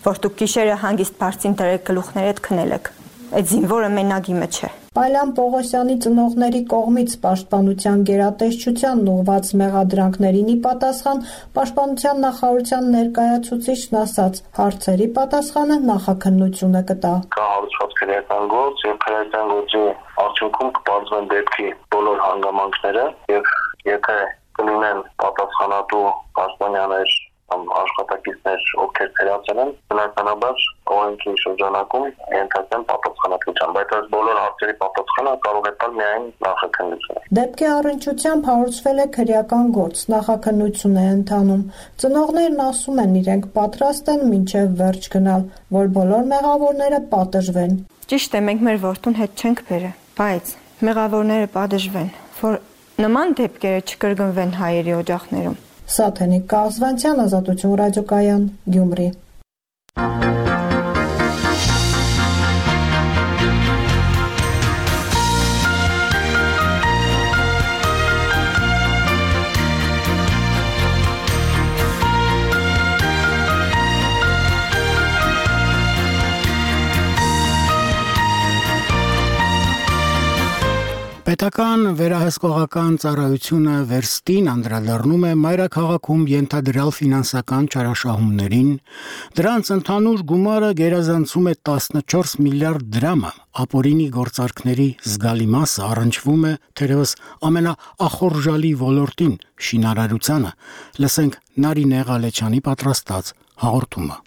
որ դուք գիշերը հանգիստ բարձին դրեք գլուխներ հետ քնել եք։ Այդ զինվորը մենակ իմը չէ։ Պալյան Պողոսյանի ծնողների կողմից պաշտպանության գերատեսչությանն ուղղված մեղադրանքներին ի պատասխան պաշտպանության նախարարության ներկայացուցիչն ասաց, հարցերի պատասխանը նախաքննությունը կտա։ Կա հարուցված քրեական գործ եւ քրեական գործի արդյունքում կբարձվեն դեպքի բոլոր հանգամանքները եւ եթե կլինեն պատասխանատու պաշտպանյաներ կամ աշխատակիցներ, ովքեր ծերացել են, բնականաբար օրենքի շրջանակում ենթարկեն պատասխանատվության, բայց այս բոլոր հարցերի պատասխանը կարող է տալ միայն նախաքննությունը։ Դեպքի առնչությամբ հարուցվել է քրեական գործ, նախաքննություն է ընթանում։ Ծնողներն ասում են, իրենք պատրաստ են մինչև վերջ գնալ, որ բոլոր մեղավորները պատժվեն։ Ճիշտ է, մենք մեր որդուն հետ չենք բերել, բայց մեղավորները պատժվեն, որ նման դեպքերը չկրկնվեն հայերի օջախներում։ Սաթենիկ Կազվանցյան, Ազատություն ռադիոկայան, Գյումրի։ Պետական վերահսկողական ծառայությունը Վերստին անդրադառնում է մայրաքաղաքում ենթադրյալ ֆինանսական չարաշահումներին, դրանց ընդհանուր գումարը գերազանցում է տասնչորս միլիարդ դրամը, ապօրինի գործարքների զգալի մասը առնչվում է թերևս ամենաախորժալի ոլորտին՝ շինարարությանը։ Լսենք Նարինե Ղալեչյանի պատրաստած հաղորդումը։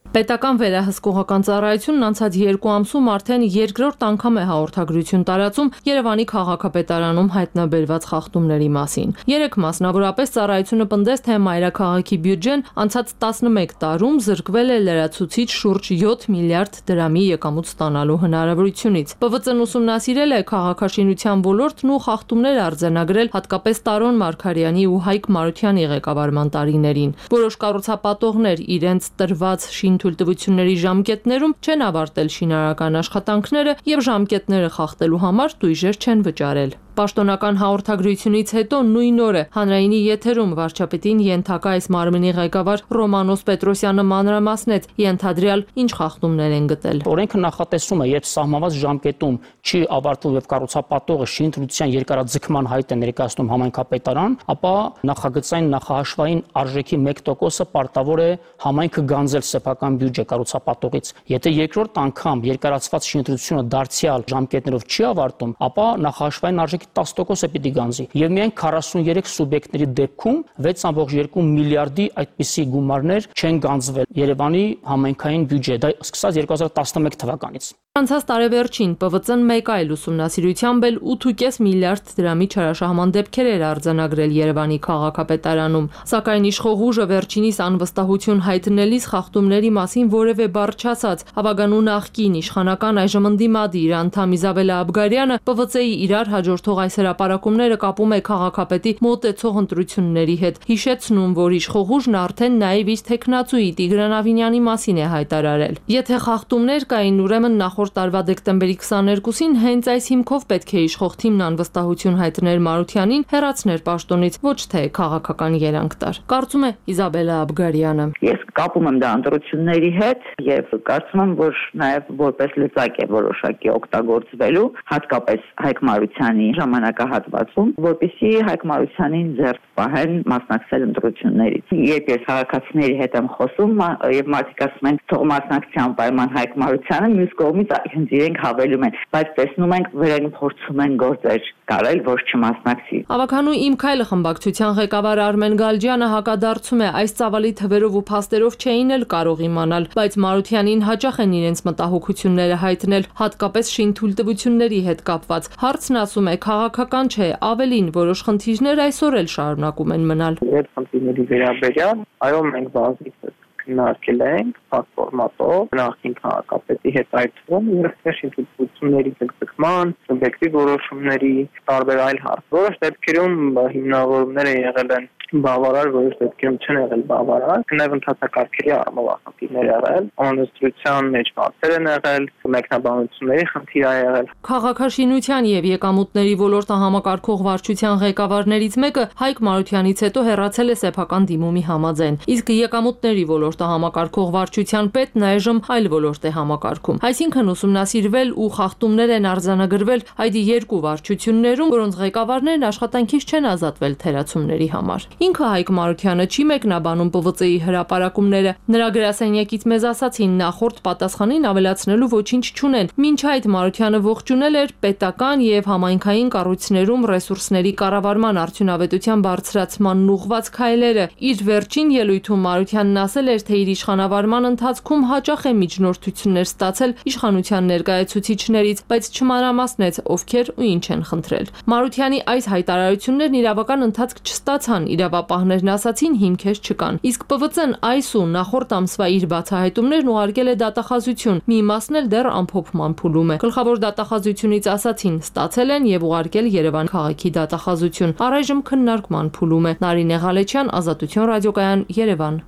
Պետական վերահսկողական ծառայությունն անցած երկու ամսում արդեն երկրորդ անգամ է հաղորդագրություն տարածում Երևանի քաղաքապետարանում հայտնաբերված խախտումների մասին։ Երեք մասնավորապես ծառայությունը պնդեց, թե մայրաքաղաքի բյուջեն անցած տասնմեկ տարում զրկվել է լրացուցիչ շուրջ յոթ միլիարդ դրամի եկամուտ ստանալու հնարավորությունից։ Պ V Ծ-ն ուսումնասիրել է քաղաքաշինության ոլորտն ու խախտումներ արձանագրել հատկապես Տարոն Մարգարյանի ու Հայկ Մարությանի ղեկավարման տարիներին։ Որոշ կառուցապատողներ իրենց տրված շին թույլտվությունների ժամկետներում չեն ավարտել շինարարական աշխատանքները եւ ժամկետները խախտելու համար տույժեր չեն վճարել։ Պաշտոնական հաղորդագրությունից հետո նույն օրը հանրայինի եթերում վարչապետին ենթակա այս մարմնի ղեկավար Ռոմանոս Պետրոսյանը մանրամասնեց ենթադրյալ ինչ խախտումներ են գտել։ Օրենքը նախատեսում է, երբ սահմանված ժամկետում չի ավարտվում եւ կառուցապատողը շինթույլտվության երկարաձգման հայտ է ներկայացնում համայնքապետարան, ապա նախագծային նախահաշվային արժեքի մեկ տոկոսը պարտավոր է համայնքը գանձել սեփական բյուջե կառուցապատողից։ Եթե երկրորդ անգամ երկարացված շինթույլտվությունը դարձյալ ժամկետներով չի ավարտում, ապա նախահաշվային արժեքի տասը տոկոսը պիտի գանձի եւ միայն քառասուններեք սուբյեկտների դեպքում վեց կόμμα երկու միլիարդի այդպիսի գումարներ չեն գանձվել Երևանի համայնքային բյուջե, դա սկսած երկու հազար տասնմեկ թվականից։ Անցած տարեվերջին Պ V Ծ-ն մեկ այլ ուսումնասիրությամբ էլ ութ ու կես միլիարդ դրամի չարաշահման դեպքեր էր արձանագրել Երևանի քաղաքապետարանում, սակայն իշխող ուժը վերջինիս անվստահություն հայտնելիս խախտումների մասին որևէ բառ չասաց։ Հավագանու նախկին իշխանական այժմ ընդդիմադիր անդամ Իզաբելա Աբգարյանը Պ V Ծ-ի իրար հաջորդող այս հրապարակումները կապում է քաղաքապետի մոտեցող ընտրությունների հետ, հիշեցնում, որ իշխող ուժն արդեն նաև իր թեկնածուի Տիգրան Ավինյանի մասին է հայտարարել։ Եթե խախտումներ կային, ուրեմն նախորդ տարվա դեկտեմբերի քսաներկուսին հենց այս հիմքով պետք է իշխող թիմն անվստահություն հայտներ Մարությանին, հեռացներ պաշտոնից, ոչ թե քաղաքական երանգ տար։ Կարծում է Իզաբելա Աբգարյանը։ Ես կապում եմ դա ընտրությունների հետ եւ կարծում եմ, որ նաեւ որպես լծակ է որոշակի օգտագործվելու, հատկապես Հայկ Մարությանի ժամանակահատվածում, որպեսզի Հայկ Մարությանին ձեռք պահեն մասնակցել ընտրություններից։ Երբ ես քաղաքացիների հետ եմ խոսում եւ մարդիկ ասում են թող մասնակցության պայման Հայկ Մարությանը, մյուս կողմից հենց իրենք հավելում են, բայց տեսնում ենք վրան փորձում են գործեր կարել, որ չմասնակցի։ Ավականու Իմ քայլը խմբակցության ղեկավար Արմեն Գալջյանը հակադարձում է, այս ծավալի թվերով ու փաստերով չէին էլ կարող իմանալ, բայց Մարությանին հաճախ են իրենց մտահոգությունները հայտնել, հատկապես շինթույլտվությունների հետ կապված։ Հարցն ասում է, քաղաքական չէ, ավելին որոշ խնդիրներ այսօր էլ շարունակում են մնալ։ Այդ խնդիրների վերաբերյալ, այո, մենք բազմիցս քննարկել ենք ֆորմատով նախին քաղաքապետի հետ այդ թվում երբ շինթույլտվությունների ձգձգման, սուբյեկտիվ որոշումների տարբեր այլ հարց։ Որոշ դեպքերում հիմնավորումները եղել են բավարար, որոշ դեպքերում չեն եղել բավարար, նաև ընդհանրակարգերի առումով խնդիրներ եղել, անընդրության մեջ հարցեր են եղել, մեկնաբանությունների խնդիր ա եղել։ Քաղաքաշինության եւ եկամուտների ոլորտը համակարգող վարչության ղեկավարներից մեկը Հայկ Մարությանից հետո հեռացել է սեփական դիմումի համաձայն, իսկ եկամուտների ոլորտը համակարգող վարչության պետն այժմ այլ ոլորտ է համակարգում։ Այսինքն ուսումնասիրվել ու խախտումներ են արձանագրվել այդ երկու վարչություններում, որոնց ղեկավարներն աշխատանքից չեն ազատվել թերացումների համար։ Ինքը Հայկ Մարությանը չի մեկնաբանում Պ V Ծ-ի հրապարակումները։ Նրա գրասենյակից մեզ ասացին, նախորդ պատասխանին ավելացնելու ոչինչ չունեն։ Մինչ այդ Մարությանը ողջունել էր պետական եւ համայնքային կառույցներում ռեսուրսների կառավարման արդյունավետության բարձրացման ուղղված քայլերը։ Իր վերջին ելույթում Մարությանն ասել էր, թե իր իշխանավարման ընթացքում հաճախ է միջնորդություններ ստացել իշխանության ներկայացուցիչներից, բայց չմանրամասնեց ովքեր ու ինչ են խնդրել։ Մարությանի այս հայտարարություններն իրավական ընթացք չստացան, իրավապահներն ասացին հիմքեր չկան։ Իսկ Պ V Ծ-ն այս ու նախորդ ամսվա իր բացահայտումներն ուղարկել է դատախազություն, մի մասն էլ դեռ ամփոփման փուլում է։ Գլխավոր դատախազությունից ասացին, ստացել են եւ ուղարկել Երևան քաղաքի դատախազություն։ Առայժմ քննարկման փուլում է։ Նարինե Ղալեչյան, Ազատություն ռադիոկայան, Երևան։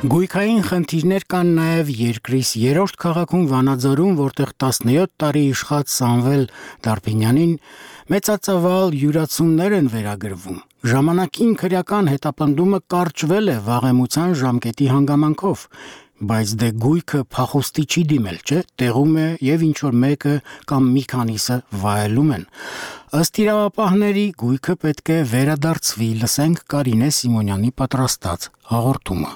Գույք Համակարգային խնդիրներ կան նաև երկրիս երրորդ քաղաքում Վանաձորում, որտեղ տասնյոթ տարի իշխած Սամվել Դարփինյանին մեծածավալ յուրացումներ են վերագրվում։ Ժամանակին քրեական հետապնդումը կարճվել է վաղեմության ժամկետի հանգամանքով, բայց դե գույքը փախուստի չի դիմել, չէ՞, տեղում է եւ ինչ որ մեկը կամ մի քանիսը վայելում են։ Ըստ իրավապահների գույքը պետք է վերադարձվի, լսենք Կարինե Սիմոնյանի պատրաստած հաղորդումը։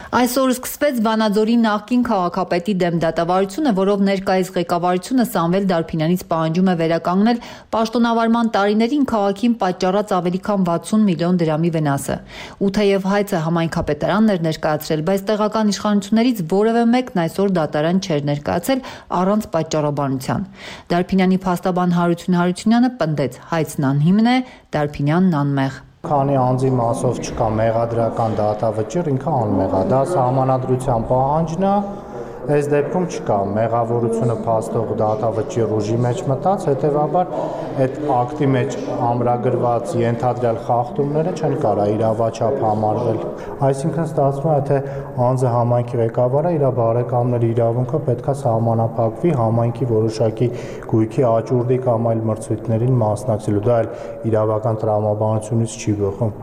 Այսօր սկսվեց Վանաձորի նախկին քաղաքապետի դեմ դատավարությունը, որով ներկայիս ղեկավարությունը Սամվել Դարփինյանից պահանջում է վերականգնել պաշտոնավարման տարիներին քաղաքին պատճառած ավելի քան վաթսուն միլիոն դրամի վնասը։ Ու թեև հայցը համայնքապետարանն էր ներկայացրել, բայց տեղական իշխանություններից որևէ մեկն այսօր դատարան չէր ներկայացել առանց պատճառաբանության։ Դարփինյանի փաստաբան Հարություն Հարությունյանը պնդեց՝ հայցն անհիմն է, Դարփինյանն անմեղ։ Քանի անձի մասով չկա մեղադրական դատավճիռ, ինքը անմեղ է։ Դա սահմանադրության պահանջն է, այս դեպքում չկա մեղավորությունը փաստող դատավճիռ ուժի մեջ մտած, հետևաբար այդ ակտի մեջ ամրագրված ենթադրյալ խախտումները չեն կարող իրավաչափ համարվել։ Այսինքն ստացվում է, թե անձը համայնքի ղեկավարը իր բարեկամների իրավունքը պետքա սահմանափակվի համայնքի որոշակի գույքի աճուրդի կամ այլ մրցույթներին մասնակցելու, դա էլ իրավական տրամաբանությունից չի բխում։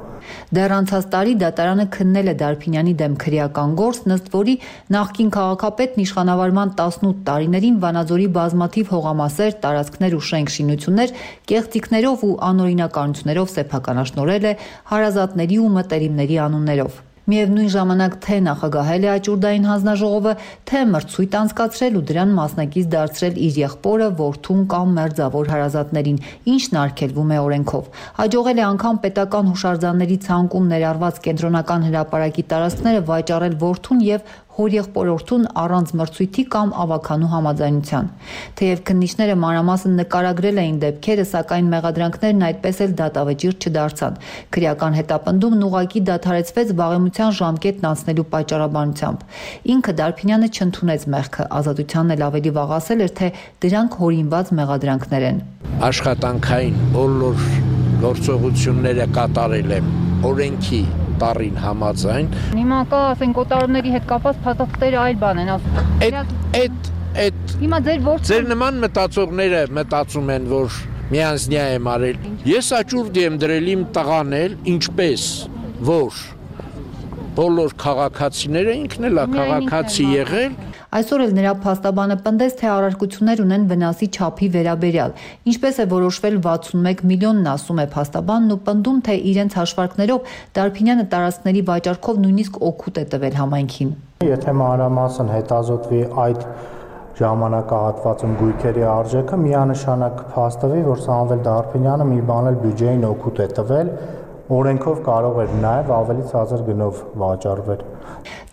Դեռ անցած տարի դատարանը քննել է Դարփինյանի դեմ քրեական գործ, ըստ որի նախկին քաղաքապետն իշխանավարման տասնութ տարիներին Վանաձորի բազմաթիվ հողամասեր, տարածքներ ու շենք-շինություններ կեղծիքներով ու անօրինականություններով սեփականաշնորհել է հարազատների ու մտերիմների անուններով։ Միևնույն ժամանակ թե նախագահել է աճուրդային հանձնաժողովը, թե մրցույթ անցկացրել ու դրան մասնակից դարձրել իր եղբորը, որդուն կամ մերձավոր հարազատներին, ինչն արգելվում է օրենքով։ Հաջողել է անգամ պետական հուշարձանների ցանկում ներառված կենտրոնական հրապարակի տարածքները վաճառել որդուն եւ հորեղբորորդուն առանց մրցույթի կամ ավականու համաձայնության։ Թեև քննիչները մանրամասն նկարագրել էին դեպքերը, սակայն մեղադրանքներն այդպես էլ դատավճիռ չդարձան։ Քրեական հետապնդումն ուղղակի դադարեցվեց վաղեմության ժամկետն անցնելու պատճառաբանությամբ։ Ինքը Դարփինյանը չընդունեց մեղքը, ազատությանն էլ ավելի վաղ ասել էր, թե դրանք հորինված մեղադրանքներ են։ Աշխատանքային բոլոր գործողությունները կատարել եմ օրենքի տարին համաձայն։ Հիմա կա, ասենք, օտարների հետ կապված փաստաթղթերը այլ բան են ասում։ Այդ այդ այդ Հիմա ձեր ворթ Ձեր նման մտածողները մտածում են, որ միանձնյա եմ արել։ Ես աճուրդ եմ դրել իմ տղան էլ, ինչպես որ բոլոր քաղաքացիները, ինքն էլ է քաղաքացի եղել։ Այսօր էլ նրա փաստաբանը պնդեց, թե առարկություններ ունեն վնասի չափի վերաբերյալ։ Ինչպես է որոշվել վաթսունմեկ միլիոնն, ասում է փաստաբանն ու պնդում, թե իրենց հաշվարկներով Դարփինյանը տարածքների վաճառքով նույնիսկ օգուտ է տվել համայնքին։ Եթե մանրամասն հետազոտվի այդ ժամանակահատվածում գույքերի արժեքը, միանշանակ կփաստվի, որ Սամվել Դարփինյանը մի բան էլ բյուջեին օգուտ է տվել, օրենքով կարող էր նաև ավելի ցածր գնով վաճառվել։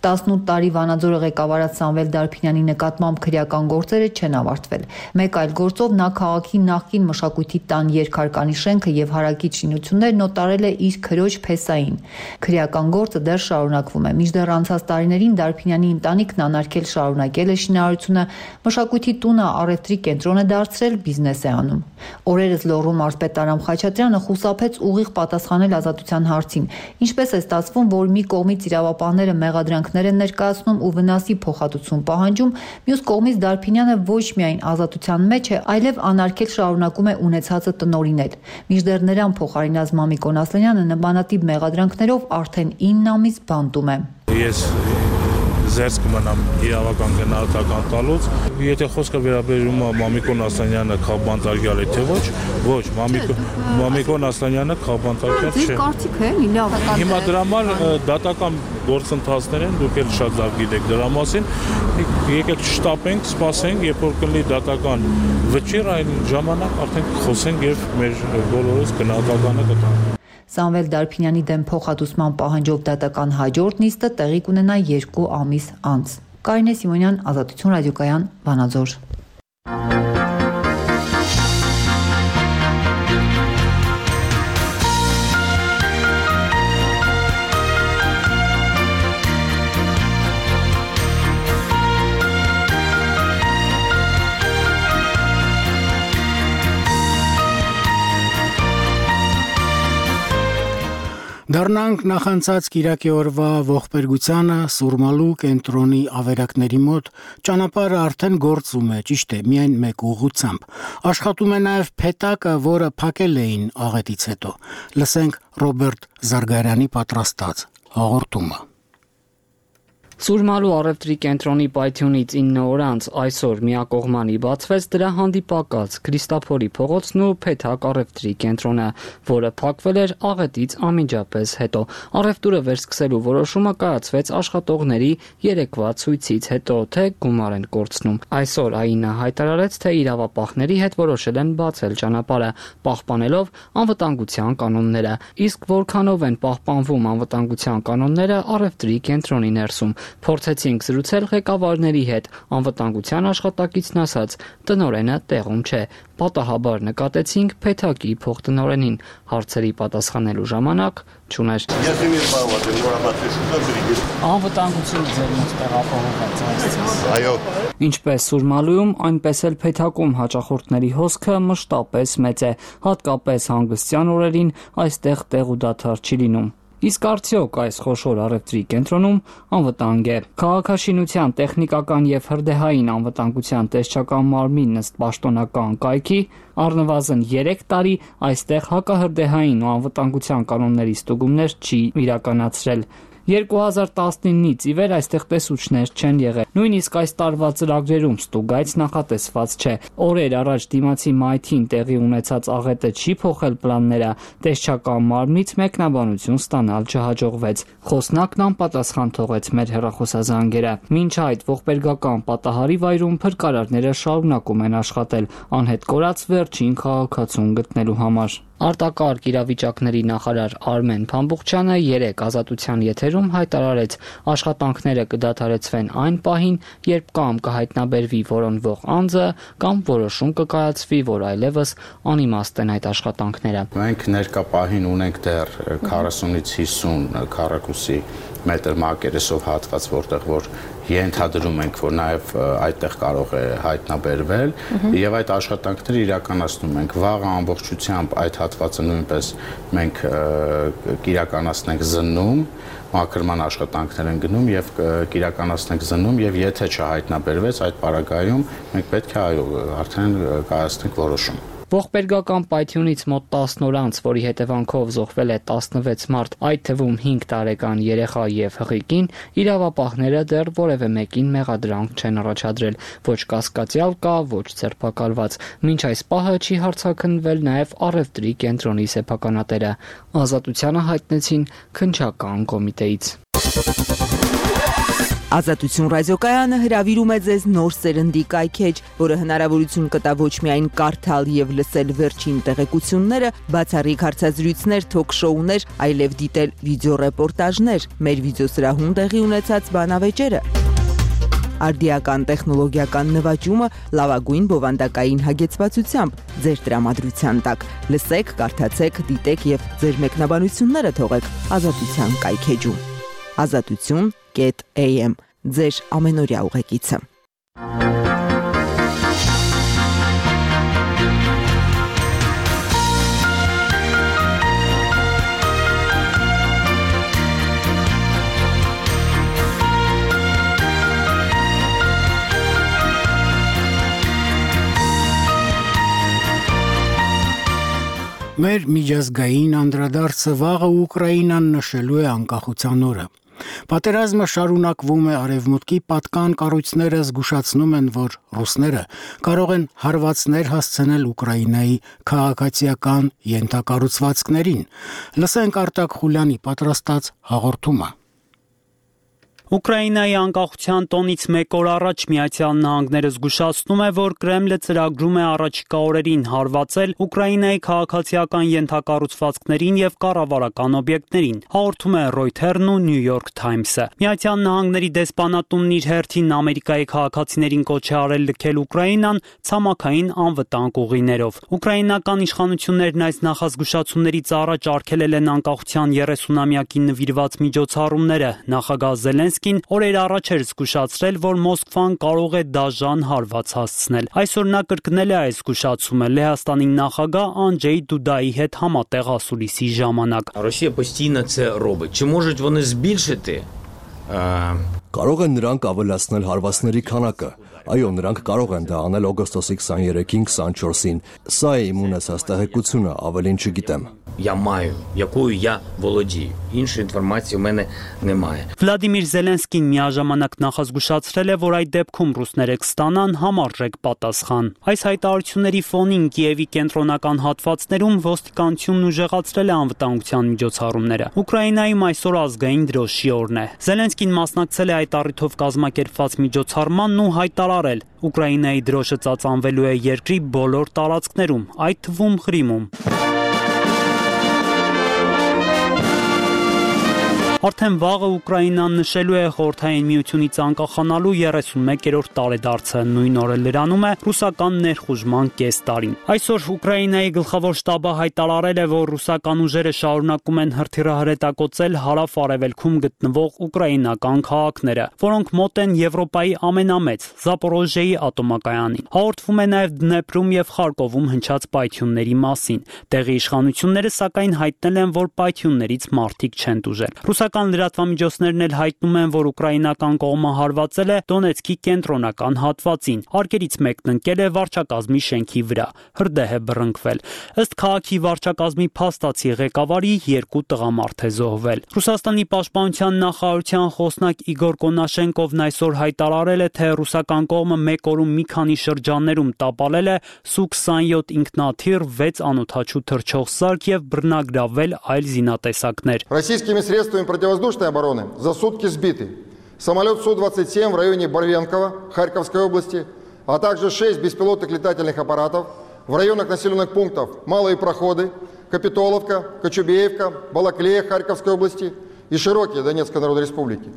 տասնութ տարի Վանաձորը ղեկավարած Սամվել Դարփինյանի նկատմամբ քրեական գործերը չեն ավարտվել։ Մեկ այլ գործով նա քաղաքի նախկին մշակույթի տան երկհարկանի շենքը եւ հարակից շինություններն օտարել է իր քրոջ փեսային։ Քրեական գործը դեռ շարունակվում է։ Մինչդեռ անցած տարիներին Դարփինյանի ընտանիքն անարգել շարունակել է շինարարությունը, մշակույթի տունը առևտրի կենտրոն է դարձրել, բիզնես է անում։ Օրերս Լոռու մարզպետ Արամ Խաչատրյանը խուսափեց ուղիղ պատասխանել ազատության հարցին։ Ինչպես է ստացվում, որ մի կողմից իրավապահները մեղադրանքներ են ներկայացնում ու վնասի փոխհատուցում պահանջում, մյուս կողմից Դարփինյանը ոչ միայն ազատության մեջ է, այլև անարգել շարունակում է ունեցածը տնօրինել։ Մինչդեռ նրան փոխարինած Մամիկոն Ասլանյանը նմանատիպ մեղադրանքներով արդեն ինը ամիս բանտում է։ Ես զերծ կմնամ իրավական գնահատական տալուց։ Եթե խոսքը վերաբերում է Մամիկոն Ասլանյանը քաղբանտարկյալ է թե ոչ, ոչ, Մամիկոն Ասլանյանը քաղբանտարկյալ չէ։ Ձեր կարծիքը է, լավ։ Հիմա դրա համար դատական գործընթացներ են, դուք էլ շատ լավ գիտեք դրա մասին։ Եկեք չշտապենք, սպասենք, երբ որ կլինի դատական վճիռ, այն ժամանակ արդեն խոսենք եւ մեր բոլորս գնահատականը կտանք։ Սամվել Դարփինյանի դեմ փոխհատուցման պահանջով դատական հաջորդ նիստը տեղի կունենա երկու ամիս անց։ Կարինե Սիմոնյան, Ազատություն ռադիոկայան, Վանաձոր։ Դա Դառնանք նախանցած Կիրակի օրվա ողբերգությանը Սուրմալու կենտրոնի ավերակների մոտ ճանապարհը արդեն գործում է, ճիշտ է, միայն մեկ ուղղությամբ։ Աշխատում է նաև փետակը, որը փակել էին աղետից հետո։ Լսենք Ռոբերտ Զարգարյանի պատրաստած հաղորդումը։ Սուրմալու առևտրի կենտրոնի պայթյունից ինը օր անց այսօր միակողմանի բացվեց դրա հանդիպակաց Քրիստափորի փողոցն ու Փեթակ առևտրի կենտրոնը, որը փակվել էր աղետից անմիջապես հետո։ Առևտուրը վերսկսելու որոշումը կայացվեց աշխատողների երեկվա ցույցից հետո, թե գումար են կորցնում։ Այսօր ԱԻՆ-ը հայտարարեց, թե իրավապահների հետ որոշել են բացել ճանապարհը, պահպանելով անվտանգության կանոնները։ Իսկ որքանով են պահպանվում անվտանգության կանոնները առևտրի կենտրոնի ներսում։ Փորձեցինք զրուցել ղեկավարների հետ, անվտանգության աշխատակիցն ասաց, տնօրենը տեղում չէ։ Պատահաբար նկատեցինք Փեթակի փոխտնօրենին, հարցերի պատասխանելու ժամանակ չուներ։ Անվտանգությունը ձեր մոտ տեղափոխված է։ Այո։ Ինչպես Սուրմալուում, այնպես էլ Փեթակում հաճախորդների հոսքը մշտապես մեծ է, հատկապես հանգստյան օրերին այստեղ տեղ ու դադար չի լինում։ Իսկ արդյոք այս խոշոր առևտրի կենտրոնում անվտանգ է։ Քաղաքաշինության տեխնիկական եւ հրդեհային անվտանգության տեսչական մարմինն ըստ պաշտոնական կայքի առնվազն երեք տարի այստեղ հակահրդեհային ու անվտանգության կանոնների ստուգումներ չի իրականացրել։ երկու հազար տասնինից ի վեր այստեղ տեսուչներ չեն եղել։ Նույնիսկ այս տարվա ծրագրերում ստուգայց նախատեսված չէ։ Օրեր առաջ դիմացի մայթին տեղի ունեցած աղետը չի փոխել պլանները, տեսչական մարմնից մեկնաբանություն ստանալ չհաջողվեց։ Խոսնակն անպատասխան թողեց մեր հեռախոսազանգերը։ Մինչ այդ ողբերգական պատահարի վայրում փրկարարները շարունակում են աշխատել, անհետ կորած վերջին քաղաքացուն գտնելու համար։ Արտակարգ իրավիճակների նախարար Արմեն Փամբուխչյանը երեկ Ազատության եթերում հայտարարեց, աշխատանքները կդադարեցվեն այն պահին, երբ կամ կհայտնաբերվի որոնվող անձը, կամ որոշում կկայացվի, որ այլևս անիմաստ են այդ աշխատանքները։ Մենք ներկա պահին ունենք դեռ քառասունից հիսուն քառակուսի մետր մակերեսով հատված, որտեղ որ ենթադրում ենք, որ նաև այդտեղ կարող է հայտնաբերվել, եւ այդ աշխատանքները իրականացնում ենք։ Վաղը ամբողջությամբ այդ հատվածը նույնպես մենք կիրականացնենք զննում, մաքրման աշխատանքներ են գնում եւ կիրականացնենք զննում, եւ եթե չհայտնաբերվեց այդ պարագայում, մենք պետք է այո արդեն կայացնենք որոշում։ Ողբերգական պայթյունից մոտ տասն օր անց, որի հետևանքով զոհվել է տասնվեց մարդ, այդ թվում հինգ տարեկան երեխա եւ հղիկին, իրավապահները դեռ որևէ մեկին մեղադրանք չեն առաջադրել, ոչ կասկածյալ կա, ոչ ձերբակալված։ Մինչ այս պահը չի հարցաքննվել նաեւ առևտրի կենտրոնի սեփականատերը։ Ազատությանը հայտնեցին քննչական կոմիտեից։ Ազատություն ռադիոկայանը հրավիրում է ձեզ նոր սերնդի կայքեջ, որը հնարավորություն կտա ոչ միայն կարդալ եւ լսել վերջին տեղեկությունները, բացառիկ հարցազրույցներ, թոք-շոուներ, այլև դիտել վիդեոռեպորտաժներ, մեր վիդեոսրահում տեղի ունեցած բանավեճերը, արդիական տեխնոլոգիական նվաճումը լավագույն բովանդակային հագեցվածությամբ ձեր տրամադրության տակ։ Լսեք, կարդացեք, դիտեք եւ ձեր մեկնաբանությունները թողեք Ազատության կայքեջում։ Ազատություն am ձեր ամենօրյա ուղեկիցը։ Մեր միջազգային անդրադարձը վաղը Ուկրաինան նշելու է անկախության օրը։ Պատերազմը շարունակվում է, արևմուտքի պատկան կառույցները զգուշացնում են, որ ռուսները կարող են հարվածներ հասցնել Ուկրաինայի քաղաքացիական ենթակառուցվածքներին։ Լսենք Արտակ Խուլյանի պատրաստած հաղորդումը։ Ուկրաինայի անկախության տոնից մեկ օր առաջ Միացյալ Նահանգները զգուշացնում է, որ Կրեմլը ծրագրում է առաջիկա օրերին հարվածել Ուկրաինայի քաղաքացիական ենթակառուցվածքներին եւ կառավարական օբյեկտներին, հաղորդում է Reuters-ն ու New York Times-ը։ Միացյալ Նահանգների դեսպանատունն իր հերթին Ամերիկայի քաղաքացիներին կոչ է արել լքել Ուկրաինան ցամաքային անվտանգ ուղիներով։ Ուկրաինական իշխանություններն այս նախազգուշացումներից առաջ արգելել են անկախության երեսունամյակին նվիրված միջոցառումները։ Նախագահ Զելենսկին Զելենսկին օրեր առաջ էր զգուշացրել, որ Մոսկվան կարող է դաժան հարված հասցնել։ Այսօր նա կրկնել է այս զգուշացումը Լեհաստանի նախագահ Անջեյ Դուդայի հետ համատեղ ասուլիսի ժամանակ։ Ռոսիա постійно це робить. Чи можуть вони збільшити? Կարող են նրանք ավելացնել հարվածների քանակը։ Այո, նրանք կարող են դա անել օգոստոսի քսաներեքին, քսանչորսին։ Սա է իմ ունեցած տեղեկությունը, ավելին չգիտեմ։ Я маю, якою я володію. Іншої інформації у мене немає. Վլադիմիր Զելենսկին միաժամանակ նախազգուշացրել է, որ այդ դեպքում ռուսները կստանան համարժեք պատասխան։ Այս հայտարարությունների ֆոնին Կիևի կենտրոնական հատվածներում ոստիկանությունն ուժեղացրել է անվտանգության միջոցառումները։ Ուկրաինայում այսօր ազգային դրոշի օրն է։ Զելենսկին մասնակցել է այդ առիթով կազմակերպված միջոցառմանն ու հայտարարել. Ուկրաինայի դրոշը ծածանվելու է երկրի բոլոր տարածքներում, այդ թվում Ղրիմում։ Արդեն վաղը Ուկրաինան նշելու է Խորհրդային Միությունից անկախանալու երեսունմեկերորդ տարեդարձը, նույն օրը լրանում է ռուսական ներխուժման կես տարին։ Այսօր Ուկրաինայի գլխավոր շտաբը հայտարարել է, որ ռուսական ուժերը շարունակում են հրթիռահրետակոծել հարավ-արևելքում գտնվող ուկրաինական քաղաքները, որոնք մոտ են Եվրոպայի ամենամեծ Զապորոժիեի ատոմակայանին։ Հաղորդվում է նաև Դնեպրում եւ Խարկովում հնչած պայթյունների մասին։ Տեղի իշխանությունները սակայն հայտնել են, որ պայթյուններից մարդիկ չեն տուժել։ Ռուսական լրատվամիջոցներն էլ հայտնում են, որ ուկրաինական կողմը հարվածել է Դոնեցկի կենտրոնական հատվածին։ Արկերից մեկն ընկել է վարչակազմի շենքի վրա։ Հրդեհ է բռնկվել։ Ըստ քաղաքի վարչակազմի փաստացի ղեկավարի երկու տղամարդ է զոհվել։ Ռուսաստանի պաշտպանության նախարարության խոսնակ Իգոր Կոնաշենկովն այսօր հայտարարել է, թե ռուսական կողմը մեկ օրում մի քանի շրջաններում տապալել է Սու քսանյոթ ինքնաթիռ, վեց անօդաչու թռչող սարք եւ բռնագրավել այլ զինատեսակներ։ Российскими средствами противовоздушной обороны за сутки сбиты самолет Су двадцать семь в районе Барвенкова, Харьковской области, а также шесть беспилотных летательных аппаратов в районах населенных пунктов Малые Проходы, Капитоловка, Кочубеевка, Балаклея Харьковской области и Широкие Донецкой Народной Республики.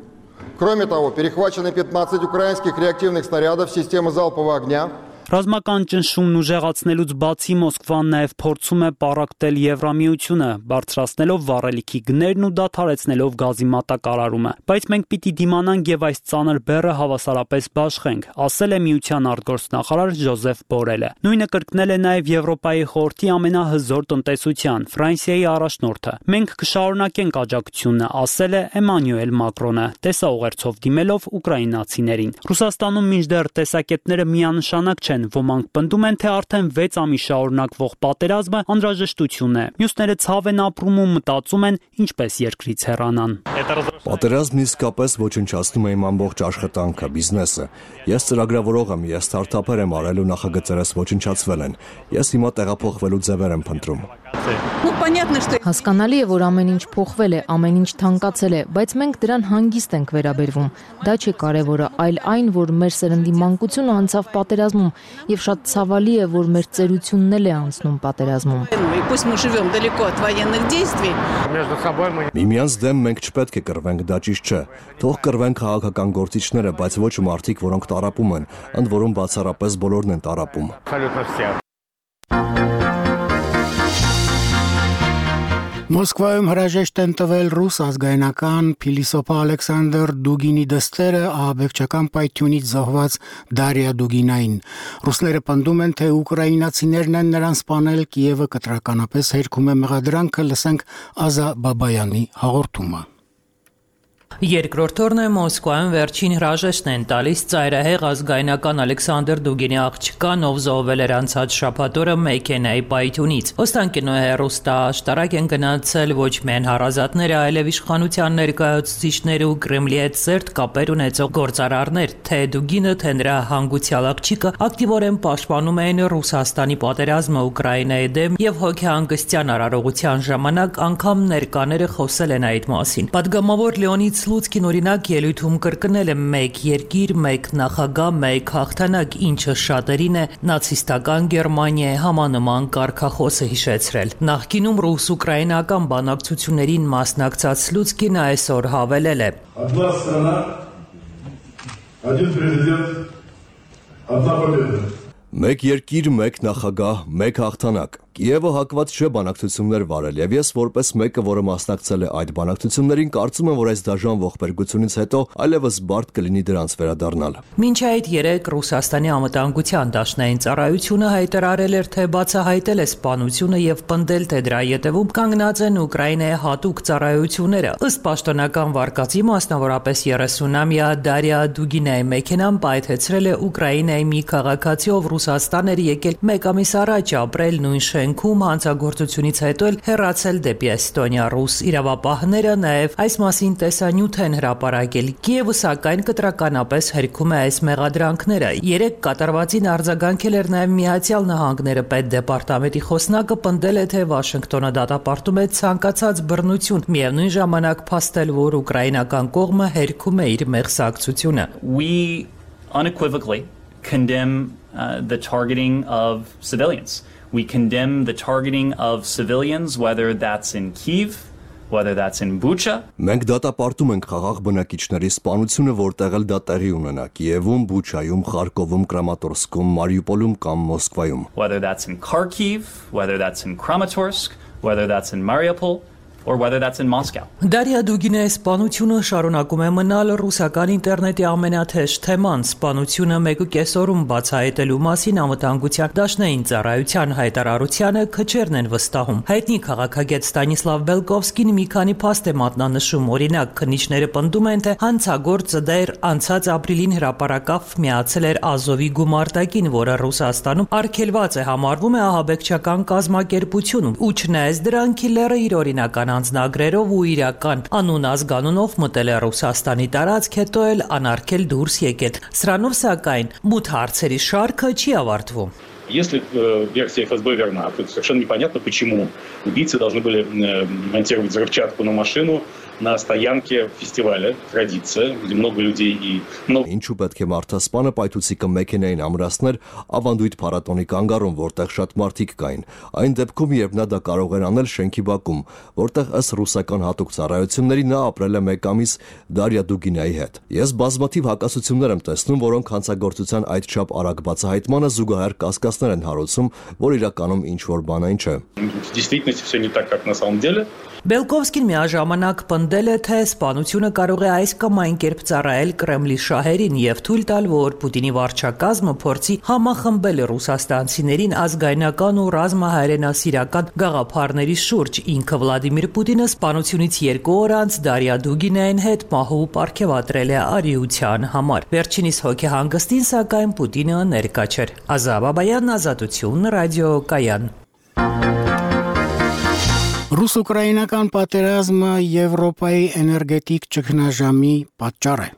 Кроме того, перехвачены пятнадцать украинских реактивных снарядов системы залпового огня. Ռազմական ճնշումն ուժեղացնելուց բացի Մոսկվան նաև փորձում է պառակտել Եվրամիությունը, բարձրացնելով վառելիքի գներն ու դադարեցնելով գազի մատակարարումը։ Բայց մենք պիտի դիմանանք եւ այս ծանր բեռը հավասարապես բաշխենք, ասել է Միության արտգործնախարար Ժոզեֆ Բորելը։ Նույնը կրկնել է նաև Եվրոպայի խորհրդի ամենահզոր տնտեսության Ֆրանսիայի առաջնորդը։ Մենք կշարունակենք աջակցությունը, ասել է Էմանուել Մակրոնը, տեսաուղերձով դիմելով ուկրաինացիներին։ Ռուսաստանում մինչդեռ տեսակետները միանշանակ չեն։ Ոմանք պնդում են, թե արդեն վեց ամիս շարունակվող պատերազմը անհրաժեշտություն է։ Մյուսները ցավ են ապրում ու մտածում են ինչպես երկրից հեռանան։ Պատերազմն իսկապես ոչնչացնում է իմ ամբողջ աշխատանքը, բիզնեսը։ Ես ծրագրավորող եմ, ես ստարտափեր եմ արել ու նախագծերս ոչնչացվել են։ Ես հիմա տեղափոխվելու ձևեր եմ փնտրում։ Հասկանալի է, որ ամեն ինչ փոխվել է, ամեն ինչ թանկացել է, բայց մենք դրան հանգիստ ենք վերաբերվում։ Դա չէ կարևորը, այլ այն, որ մեր սերնդի մանկությունը անցավ պատերազմում եւ շատ ցավալի է, որ մեր ծերությունն էլ է անցնում պատերազմում։ Միմյանց դեմ մենք չպետք է կռվենք, դա ճիշտ չէ։ Թող կռվեն քաղաքական գործիչները, բայց ոչ մարդիկ, որոնք տառապում են, ընդ որում բացառապես բոլորն են տառապում։ Մոսկվայում հրաժեշտ են տվել ռուս ազգայնական փիլիսոփա Ալեքսանդր Դուգինի դստերը ահաբեկչական պայթյունից զոհված Դարիա Դուգինային։ Ռուսները պնդում են, թե ուկրաինացիներն են նրան սպանել, Կիևը կտրականապես հերքում է մեղադրանքը, լսենք Ազա Բաբայանի հաղորդումը։ Երկրորդ օրն է Մոսկվայում վերջին հրաժեշտն են տալիս ծայրահեղ ազգայնական Ալեքսանդր Դուգինի աղջկան, ով զոհվել էր անցած շաբաթ օրը մեքենայի պայթյունից։ Օստանկինոյ հեռուստաաշտարակ են գնացել ոչ միայն հարազատները, այլև իշխանության ներկայացուցիչները ու Կրեմլի հետ սերտ կապեր ունեցող գործարարներ, թե Դուգինը, թե նրա հանգուցյալ աղջիկը ակտիվորեն պաշտպանում էին Ռուսաստանի պատերազմը Ուկրաինայի դեմ եւ հոգեհանգստյան արարողության ժամանակ անգամ ներկաները խոսել են այդ մասին։ Պատգամավոր Լեոնիդ Սլուցկին օրինակ ելույթում կրկնել է մեկ երկիր, մեկ նախագահ, մեկ հաղթանակ, ինչը շատերին է նացիստական Գերմանիայի համանման կարգախոսը հիշեցրել։ Նախկինում ռուս-ուկրաինական բանակցություններին մասնակցած Սլուցկին այսօր հավելել է. Одна страна, один президент, одна победа. Մեկ երկիր, մեկ նախագահ, մեկ հաղթանակ։ Կիևը հակված չէ բանակցություններ վարել, եւ ես որպես մեկը, որը մասնակցել է այդ բանակցություններին, կարծում եմ, որ այս դաժան ողբերգությունից հետո այլևս բարդ կլինի դրանց վերադառնալ։ Մինչ այդ երեք Ռուսաստանի անվտանգության դաշնային ծառայությունը հայտարարել էր, թե բացահայտել է սպանությունը եւ պնդել, թե դրա ետևում կանգնած են Ուկրաինայի հատուկ ծառայությունները։ Ըստ պաշտոնական վարկածի, մասնավորապես երեսունամյա Դարիա Դուգինայի մեքենան պայթեցրել է Ուկրաինայի մի քաղաքացի, ով Ռուսաստան էր եկել մեկ ամիս առաջ ապրել նույն շենքում, հանցագործությունից հետո էլ հեռացել դեպի Էստոնիա։ Ռուս իրավապահները նաև այս մասին տեսանյութ են հրապարակել։ Կիևը սակայն կտրականապես հերքում է այս մեղադրանքները։ Երեք կատարվածին արձագանքել էր նաև Միացյալ Նահանգները։ Պետդեպարտամենտի խոսնակը պնդել է, թե Վաշինգտոնը դատապարտում է ցանկացած բռնություն, միևնույն ժամանակ փաստել, որ ուկրաինական կողմը հերքում է իր մեղսակցությունը։ We unequivocally condemn uh, the targeting of civilians. We condemn the targeting of civilians, whether that's in Kyiv, whether that's in Bucha. Մենք դատապարտում ենք խաղաղ բնակիչների սպանությունը, որտեղ էլ դա տեղի ունենա՝ Կիևում, Բուչայում, Խարկովում, Կրամատորսկում, Մարիուպոլում կամ Մոսկվայում. Whether that's in Kharkiv, whether that's in Kramatorsk, whether that's in Mariupol, or whether that's in Moscow. Դարիա Դուգինեի սպանությունը շարունակում է մնալ ռուսական ինտերնետի ամենաթեժ թեման։ Սպանությունը մեկուկես օրում բացահայտելու մասին անվտանգության դաշնային ծառայության հայտարարությանը քչերն են վստահում։ Հայտնի քաղաքագետ Ստանիսլավ Բելկովսկին մի քանի փաստ է մատնանշում։ Օրինակ, քննիչները պնդում են, թե հանցագործը դեռ անցած ապրիլին հրապարակավ միացել էր Ազովի գումարտակին, որը Ռուսաստանում արգելված է համարվում է ահաբեկչական կազմակերպությունում։ Ու չնայած դրան, քիլերը իր օրինական անձնագրերով ու իրական անուն ազգանունով մտել է Ռուսաստանի տարածք, հետո էլ անարգել դուրս եկել։ Սրանով սակայն մութ հարցերի շարքը չի авարտվում։ Если э, версия эф эс бэ верна, то совершенно непонятно, почему убийцы должны были э, монтировать взрывчатку на машину на стоянке фестиваля «Традиция», где много людей и много... Ինչու պետք է մարդասպանը պայթուցիկը մեքենային ամրացներ ավանդույթ փառատոնի կանգառում, որտեղ շատ մարդիկ կային։ Այն դեպքում, երբ նա դա կարող էր անել շենքի բակում, որտեղ ըստ ռուսական հատուկ ծառայությունների նա ապրել է մեկ ամիս Դարիա Դուգինայի հետ։ Ես բազմաթիվ հակասություններ եմ տեսնում, որոնք հանցագործության այդչափ արագ բացահայտմանը զուգահեռ կասկածներ են հարուցում, որ իրականում ինչ-որ բան այն չէ։ В действительности все не так, как на самом деле. Բելկովսկին միաժամանակ պնդել է, թե սպանությունը կարող է այս կամ այն կերպ ծառայել Կրեմլի շահերին եւ թույլ տալ, որ Պուտինի վարչակազմը փորձի համախմբել ռուսաստանցիներին ազգայնական ու ռազմահայրենասիրական գաղափարների շուրջ։ Ինքը Վլադիմիր Պուտինը սպանությունից երկու օր անց Դարիա Դուգինային հետ մահու պարգևատրել է արիության համար։ Վերջինիս հոգեհանգստին սակայն Պուտինը ներկա չէր։ Ազատ Բաբայան, Ազատություն, Ռադիո Կայան։ Ռուս-ուկրաինական պատերազմը Եվրոպայի էներգետիկ ճգնաժամի պատճառ է։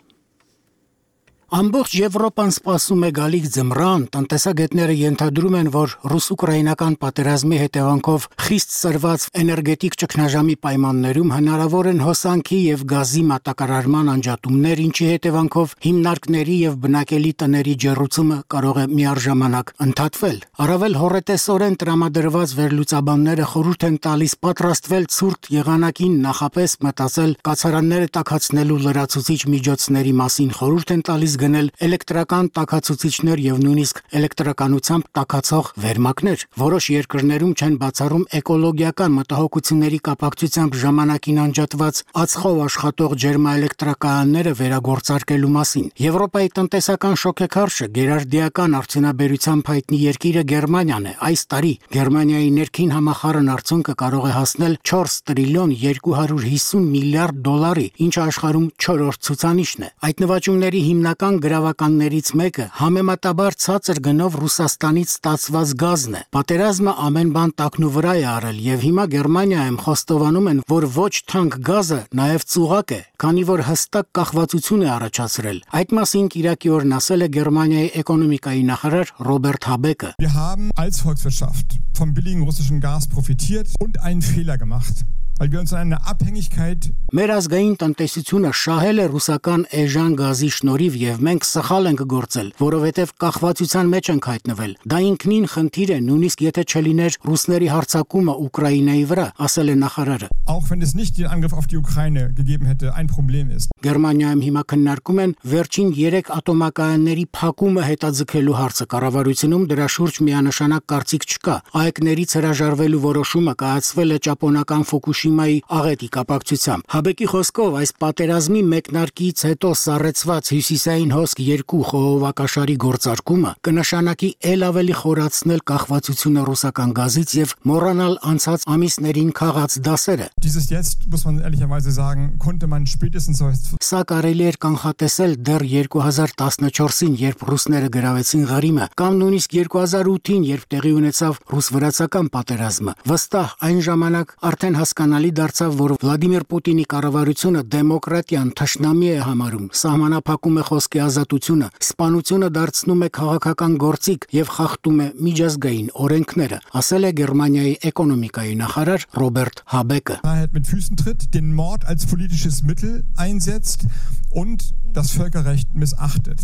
Ամբողջ Եվրոպան սպասում է գալիք ձմռան, տնտեսագետները ենթադրում են, որ ռուս-ուկրաինական պատերազմի հետևանքով խիստ սրված էներգետիկ ճգնաժամի պայմաններում հնարավոր են հոսանքի եւ գազի մատակարարման անջատումներ, ինչի հետևանքով հիմնարկների եւ բնակելի տների ջեռուցումը կարող է միառժամանակ ընդհատվել։ Առավել հոռետեսորեն տրամադրված վերլուծաբանները խորհուրդ են տալիս պատրաստվել ցուրտ եղանակին, նախապես մտածել կացարանները տաքացնելու լրացուցիչ միջոցների մասին, խորհուրդ են տալիս գնել էլեկտրական տաքացուցիչներ եւ նույնիսկ էլեկտրականությամբ տաքացող վերմակներ։ Որոշ երկրներում չեն բացառում էկոլոգիական մտահոգությունների կապակցությամբ ժամանակին անջատված ածխով աշխատող ջերմաէլեկտրակայանները վերագործարկելու մասին։ Եվրոպայի տնտեսական շոկեքարշը գերարդիական արդյունաբերությամբ հայտնի երկիրը Գերմանիան է։ Այս տարի Գերմանիայի ներքին համախառն արդյունքը կարող է հասնել չորս տրիլիոն երկու հարյուր հիսուն միլիարդ դոլարի, ինչը աշխարհում չորրորդ ցուցանիշն է։ Այդ նվաճումների հիմնական գրավականներից մեկը համեմատաբար ցածր գնով Ռուսաստանից ստացված գազն է։ Պատերազմը ամեն բան տակնու վրա է արել եւ հիմա Գերմանիայում խոստովանում են, որ ոչ թանկ գազը նաեւ ծուղակ է, քանի որ հստակ կախվածություն է առաջացրել։ Այդ մասին Կիրակի օրն ասել է Գերմանիայի էկոնոմիկայի նախարար Ռոբերտ Հաբեկը։ Wir haben als Volkswirtschaft vom billigen russischen Gas profitiert und einen Fehler gemacht. weil wir uns in einer Abhängigkeit Մեր ազգային տնտեսությունը շահել է ռուսական էժան գազի շնորհիվ եւ մենք սխալ ենք գործել, որովհետեւ կախվածության մեջ ենք հայտնվել։ Դա ինքնին խնդիր է, նույնիսկ եթե չլիներ ռուսների հարձակումը Ուկրաինայի վրա, ասել է նախարարը։ Auch wenn es nicht den Angriff auf die Ukraine gegeben hätte, ein Problem ist. Գերմանիայում հիմա քննարկում են վերջին երեք ատոմակայանների փակումը հետաձգելու հարցը։ Կառավարությունում դրա շուրջ միանշանակ կարծիք չկա։ Այեկներից հրաժարվելու որոշումը կայացվել է ճապոնական Ֆուկուշիմայի աղետի կապակցությամբ։ Հաբեկի խոսքով այս պատերազմի մեկնարկից հետո սառեցված հյուսիսային հոսք երկու խողովակաշարի գործարկումը կնշանակի ել ավելի խորացնել կախվածությունը ռուսական գազից եւ մոռանալ անցած ամիսներին քաղած դասերը։ Dieses jetzt muss man ehrlicherweise sagen, konnte man spätestens Սա կարելի էր կանխատեսել դեռ երկու հազար տասնչորսին, երբ ռուսները գրավեցին Ղրիմը, կամ նույնիսկ երկու հազար ութին, երբ տեղի ունեցավ ռուս-վրացական պատերազմը։ Վստահ այն ժամանակ արդեն հասկանալի դարձավ, որ Վլադիմիր Պուտինի կառավարությունը դեմոկրատիան թշնամի է համարում, սահմանափակում է խոսքի ազատությունը, սպանությունը դարձնում է քաղաքական գործիք եւ խախտում է միջազգային օրենքները, ասել է Գերմանիայի էկոնոմիկայի նախարար Ռոբերտ Հաբեկը։ mit Füßen tritt, den Mord als politisches Mittel einsetzt und das Völkerrecht missachtet.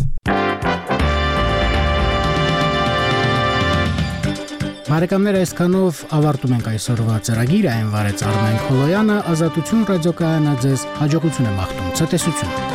Բարեկամներ, այսքանով ավարտում ենք այսօրվա ծրագիրը, այն վարեց Արմեն Խոլոյանը, Ազատություն ռադիոկայանը ձեզ հաջողություն եմ աղթում, ցտեսություն։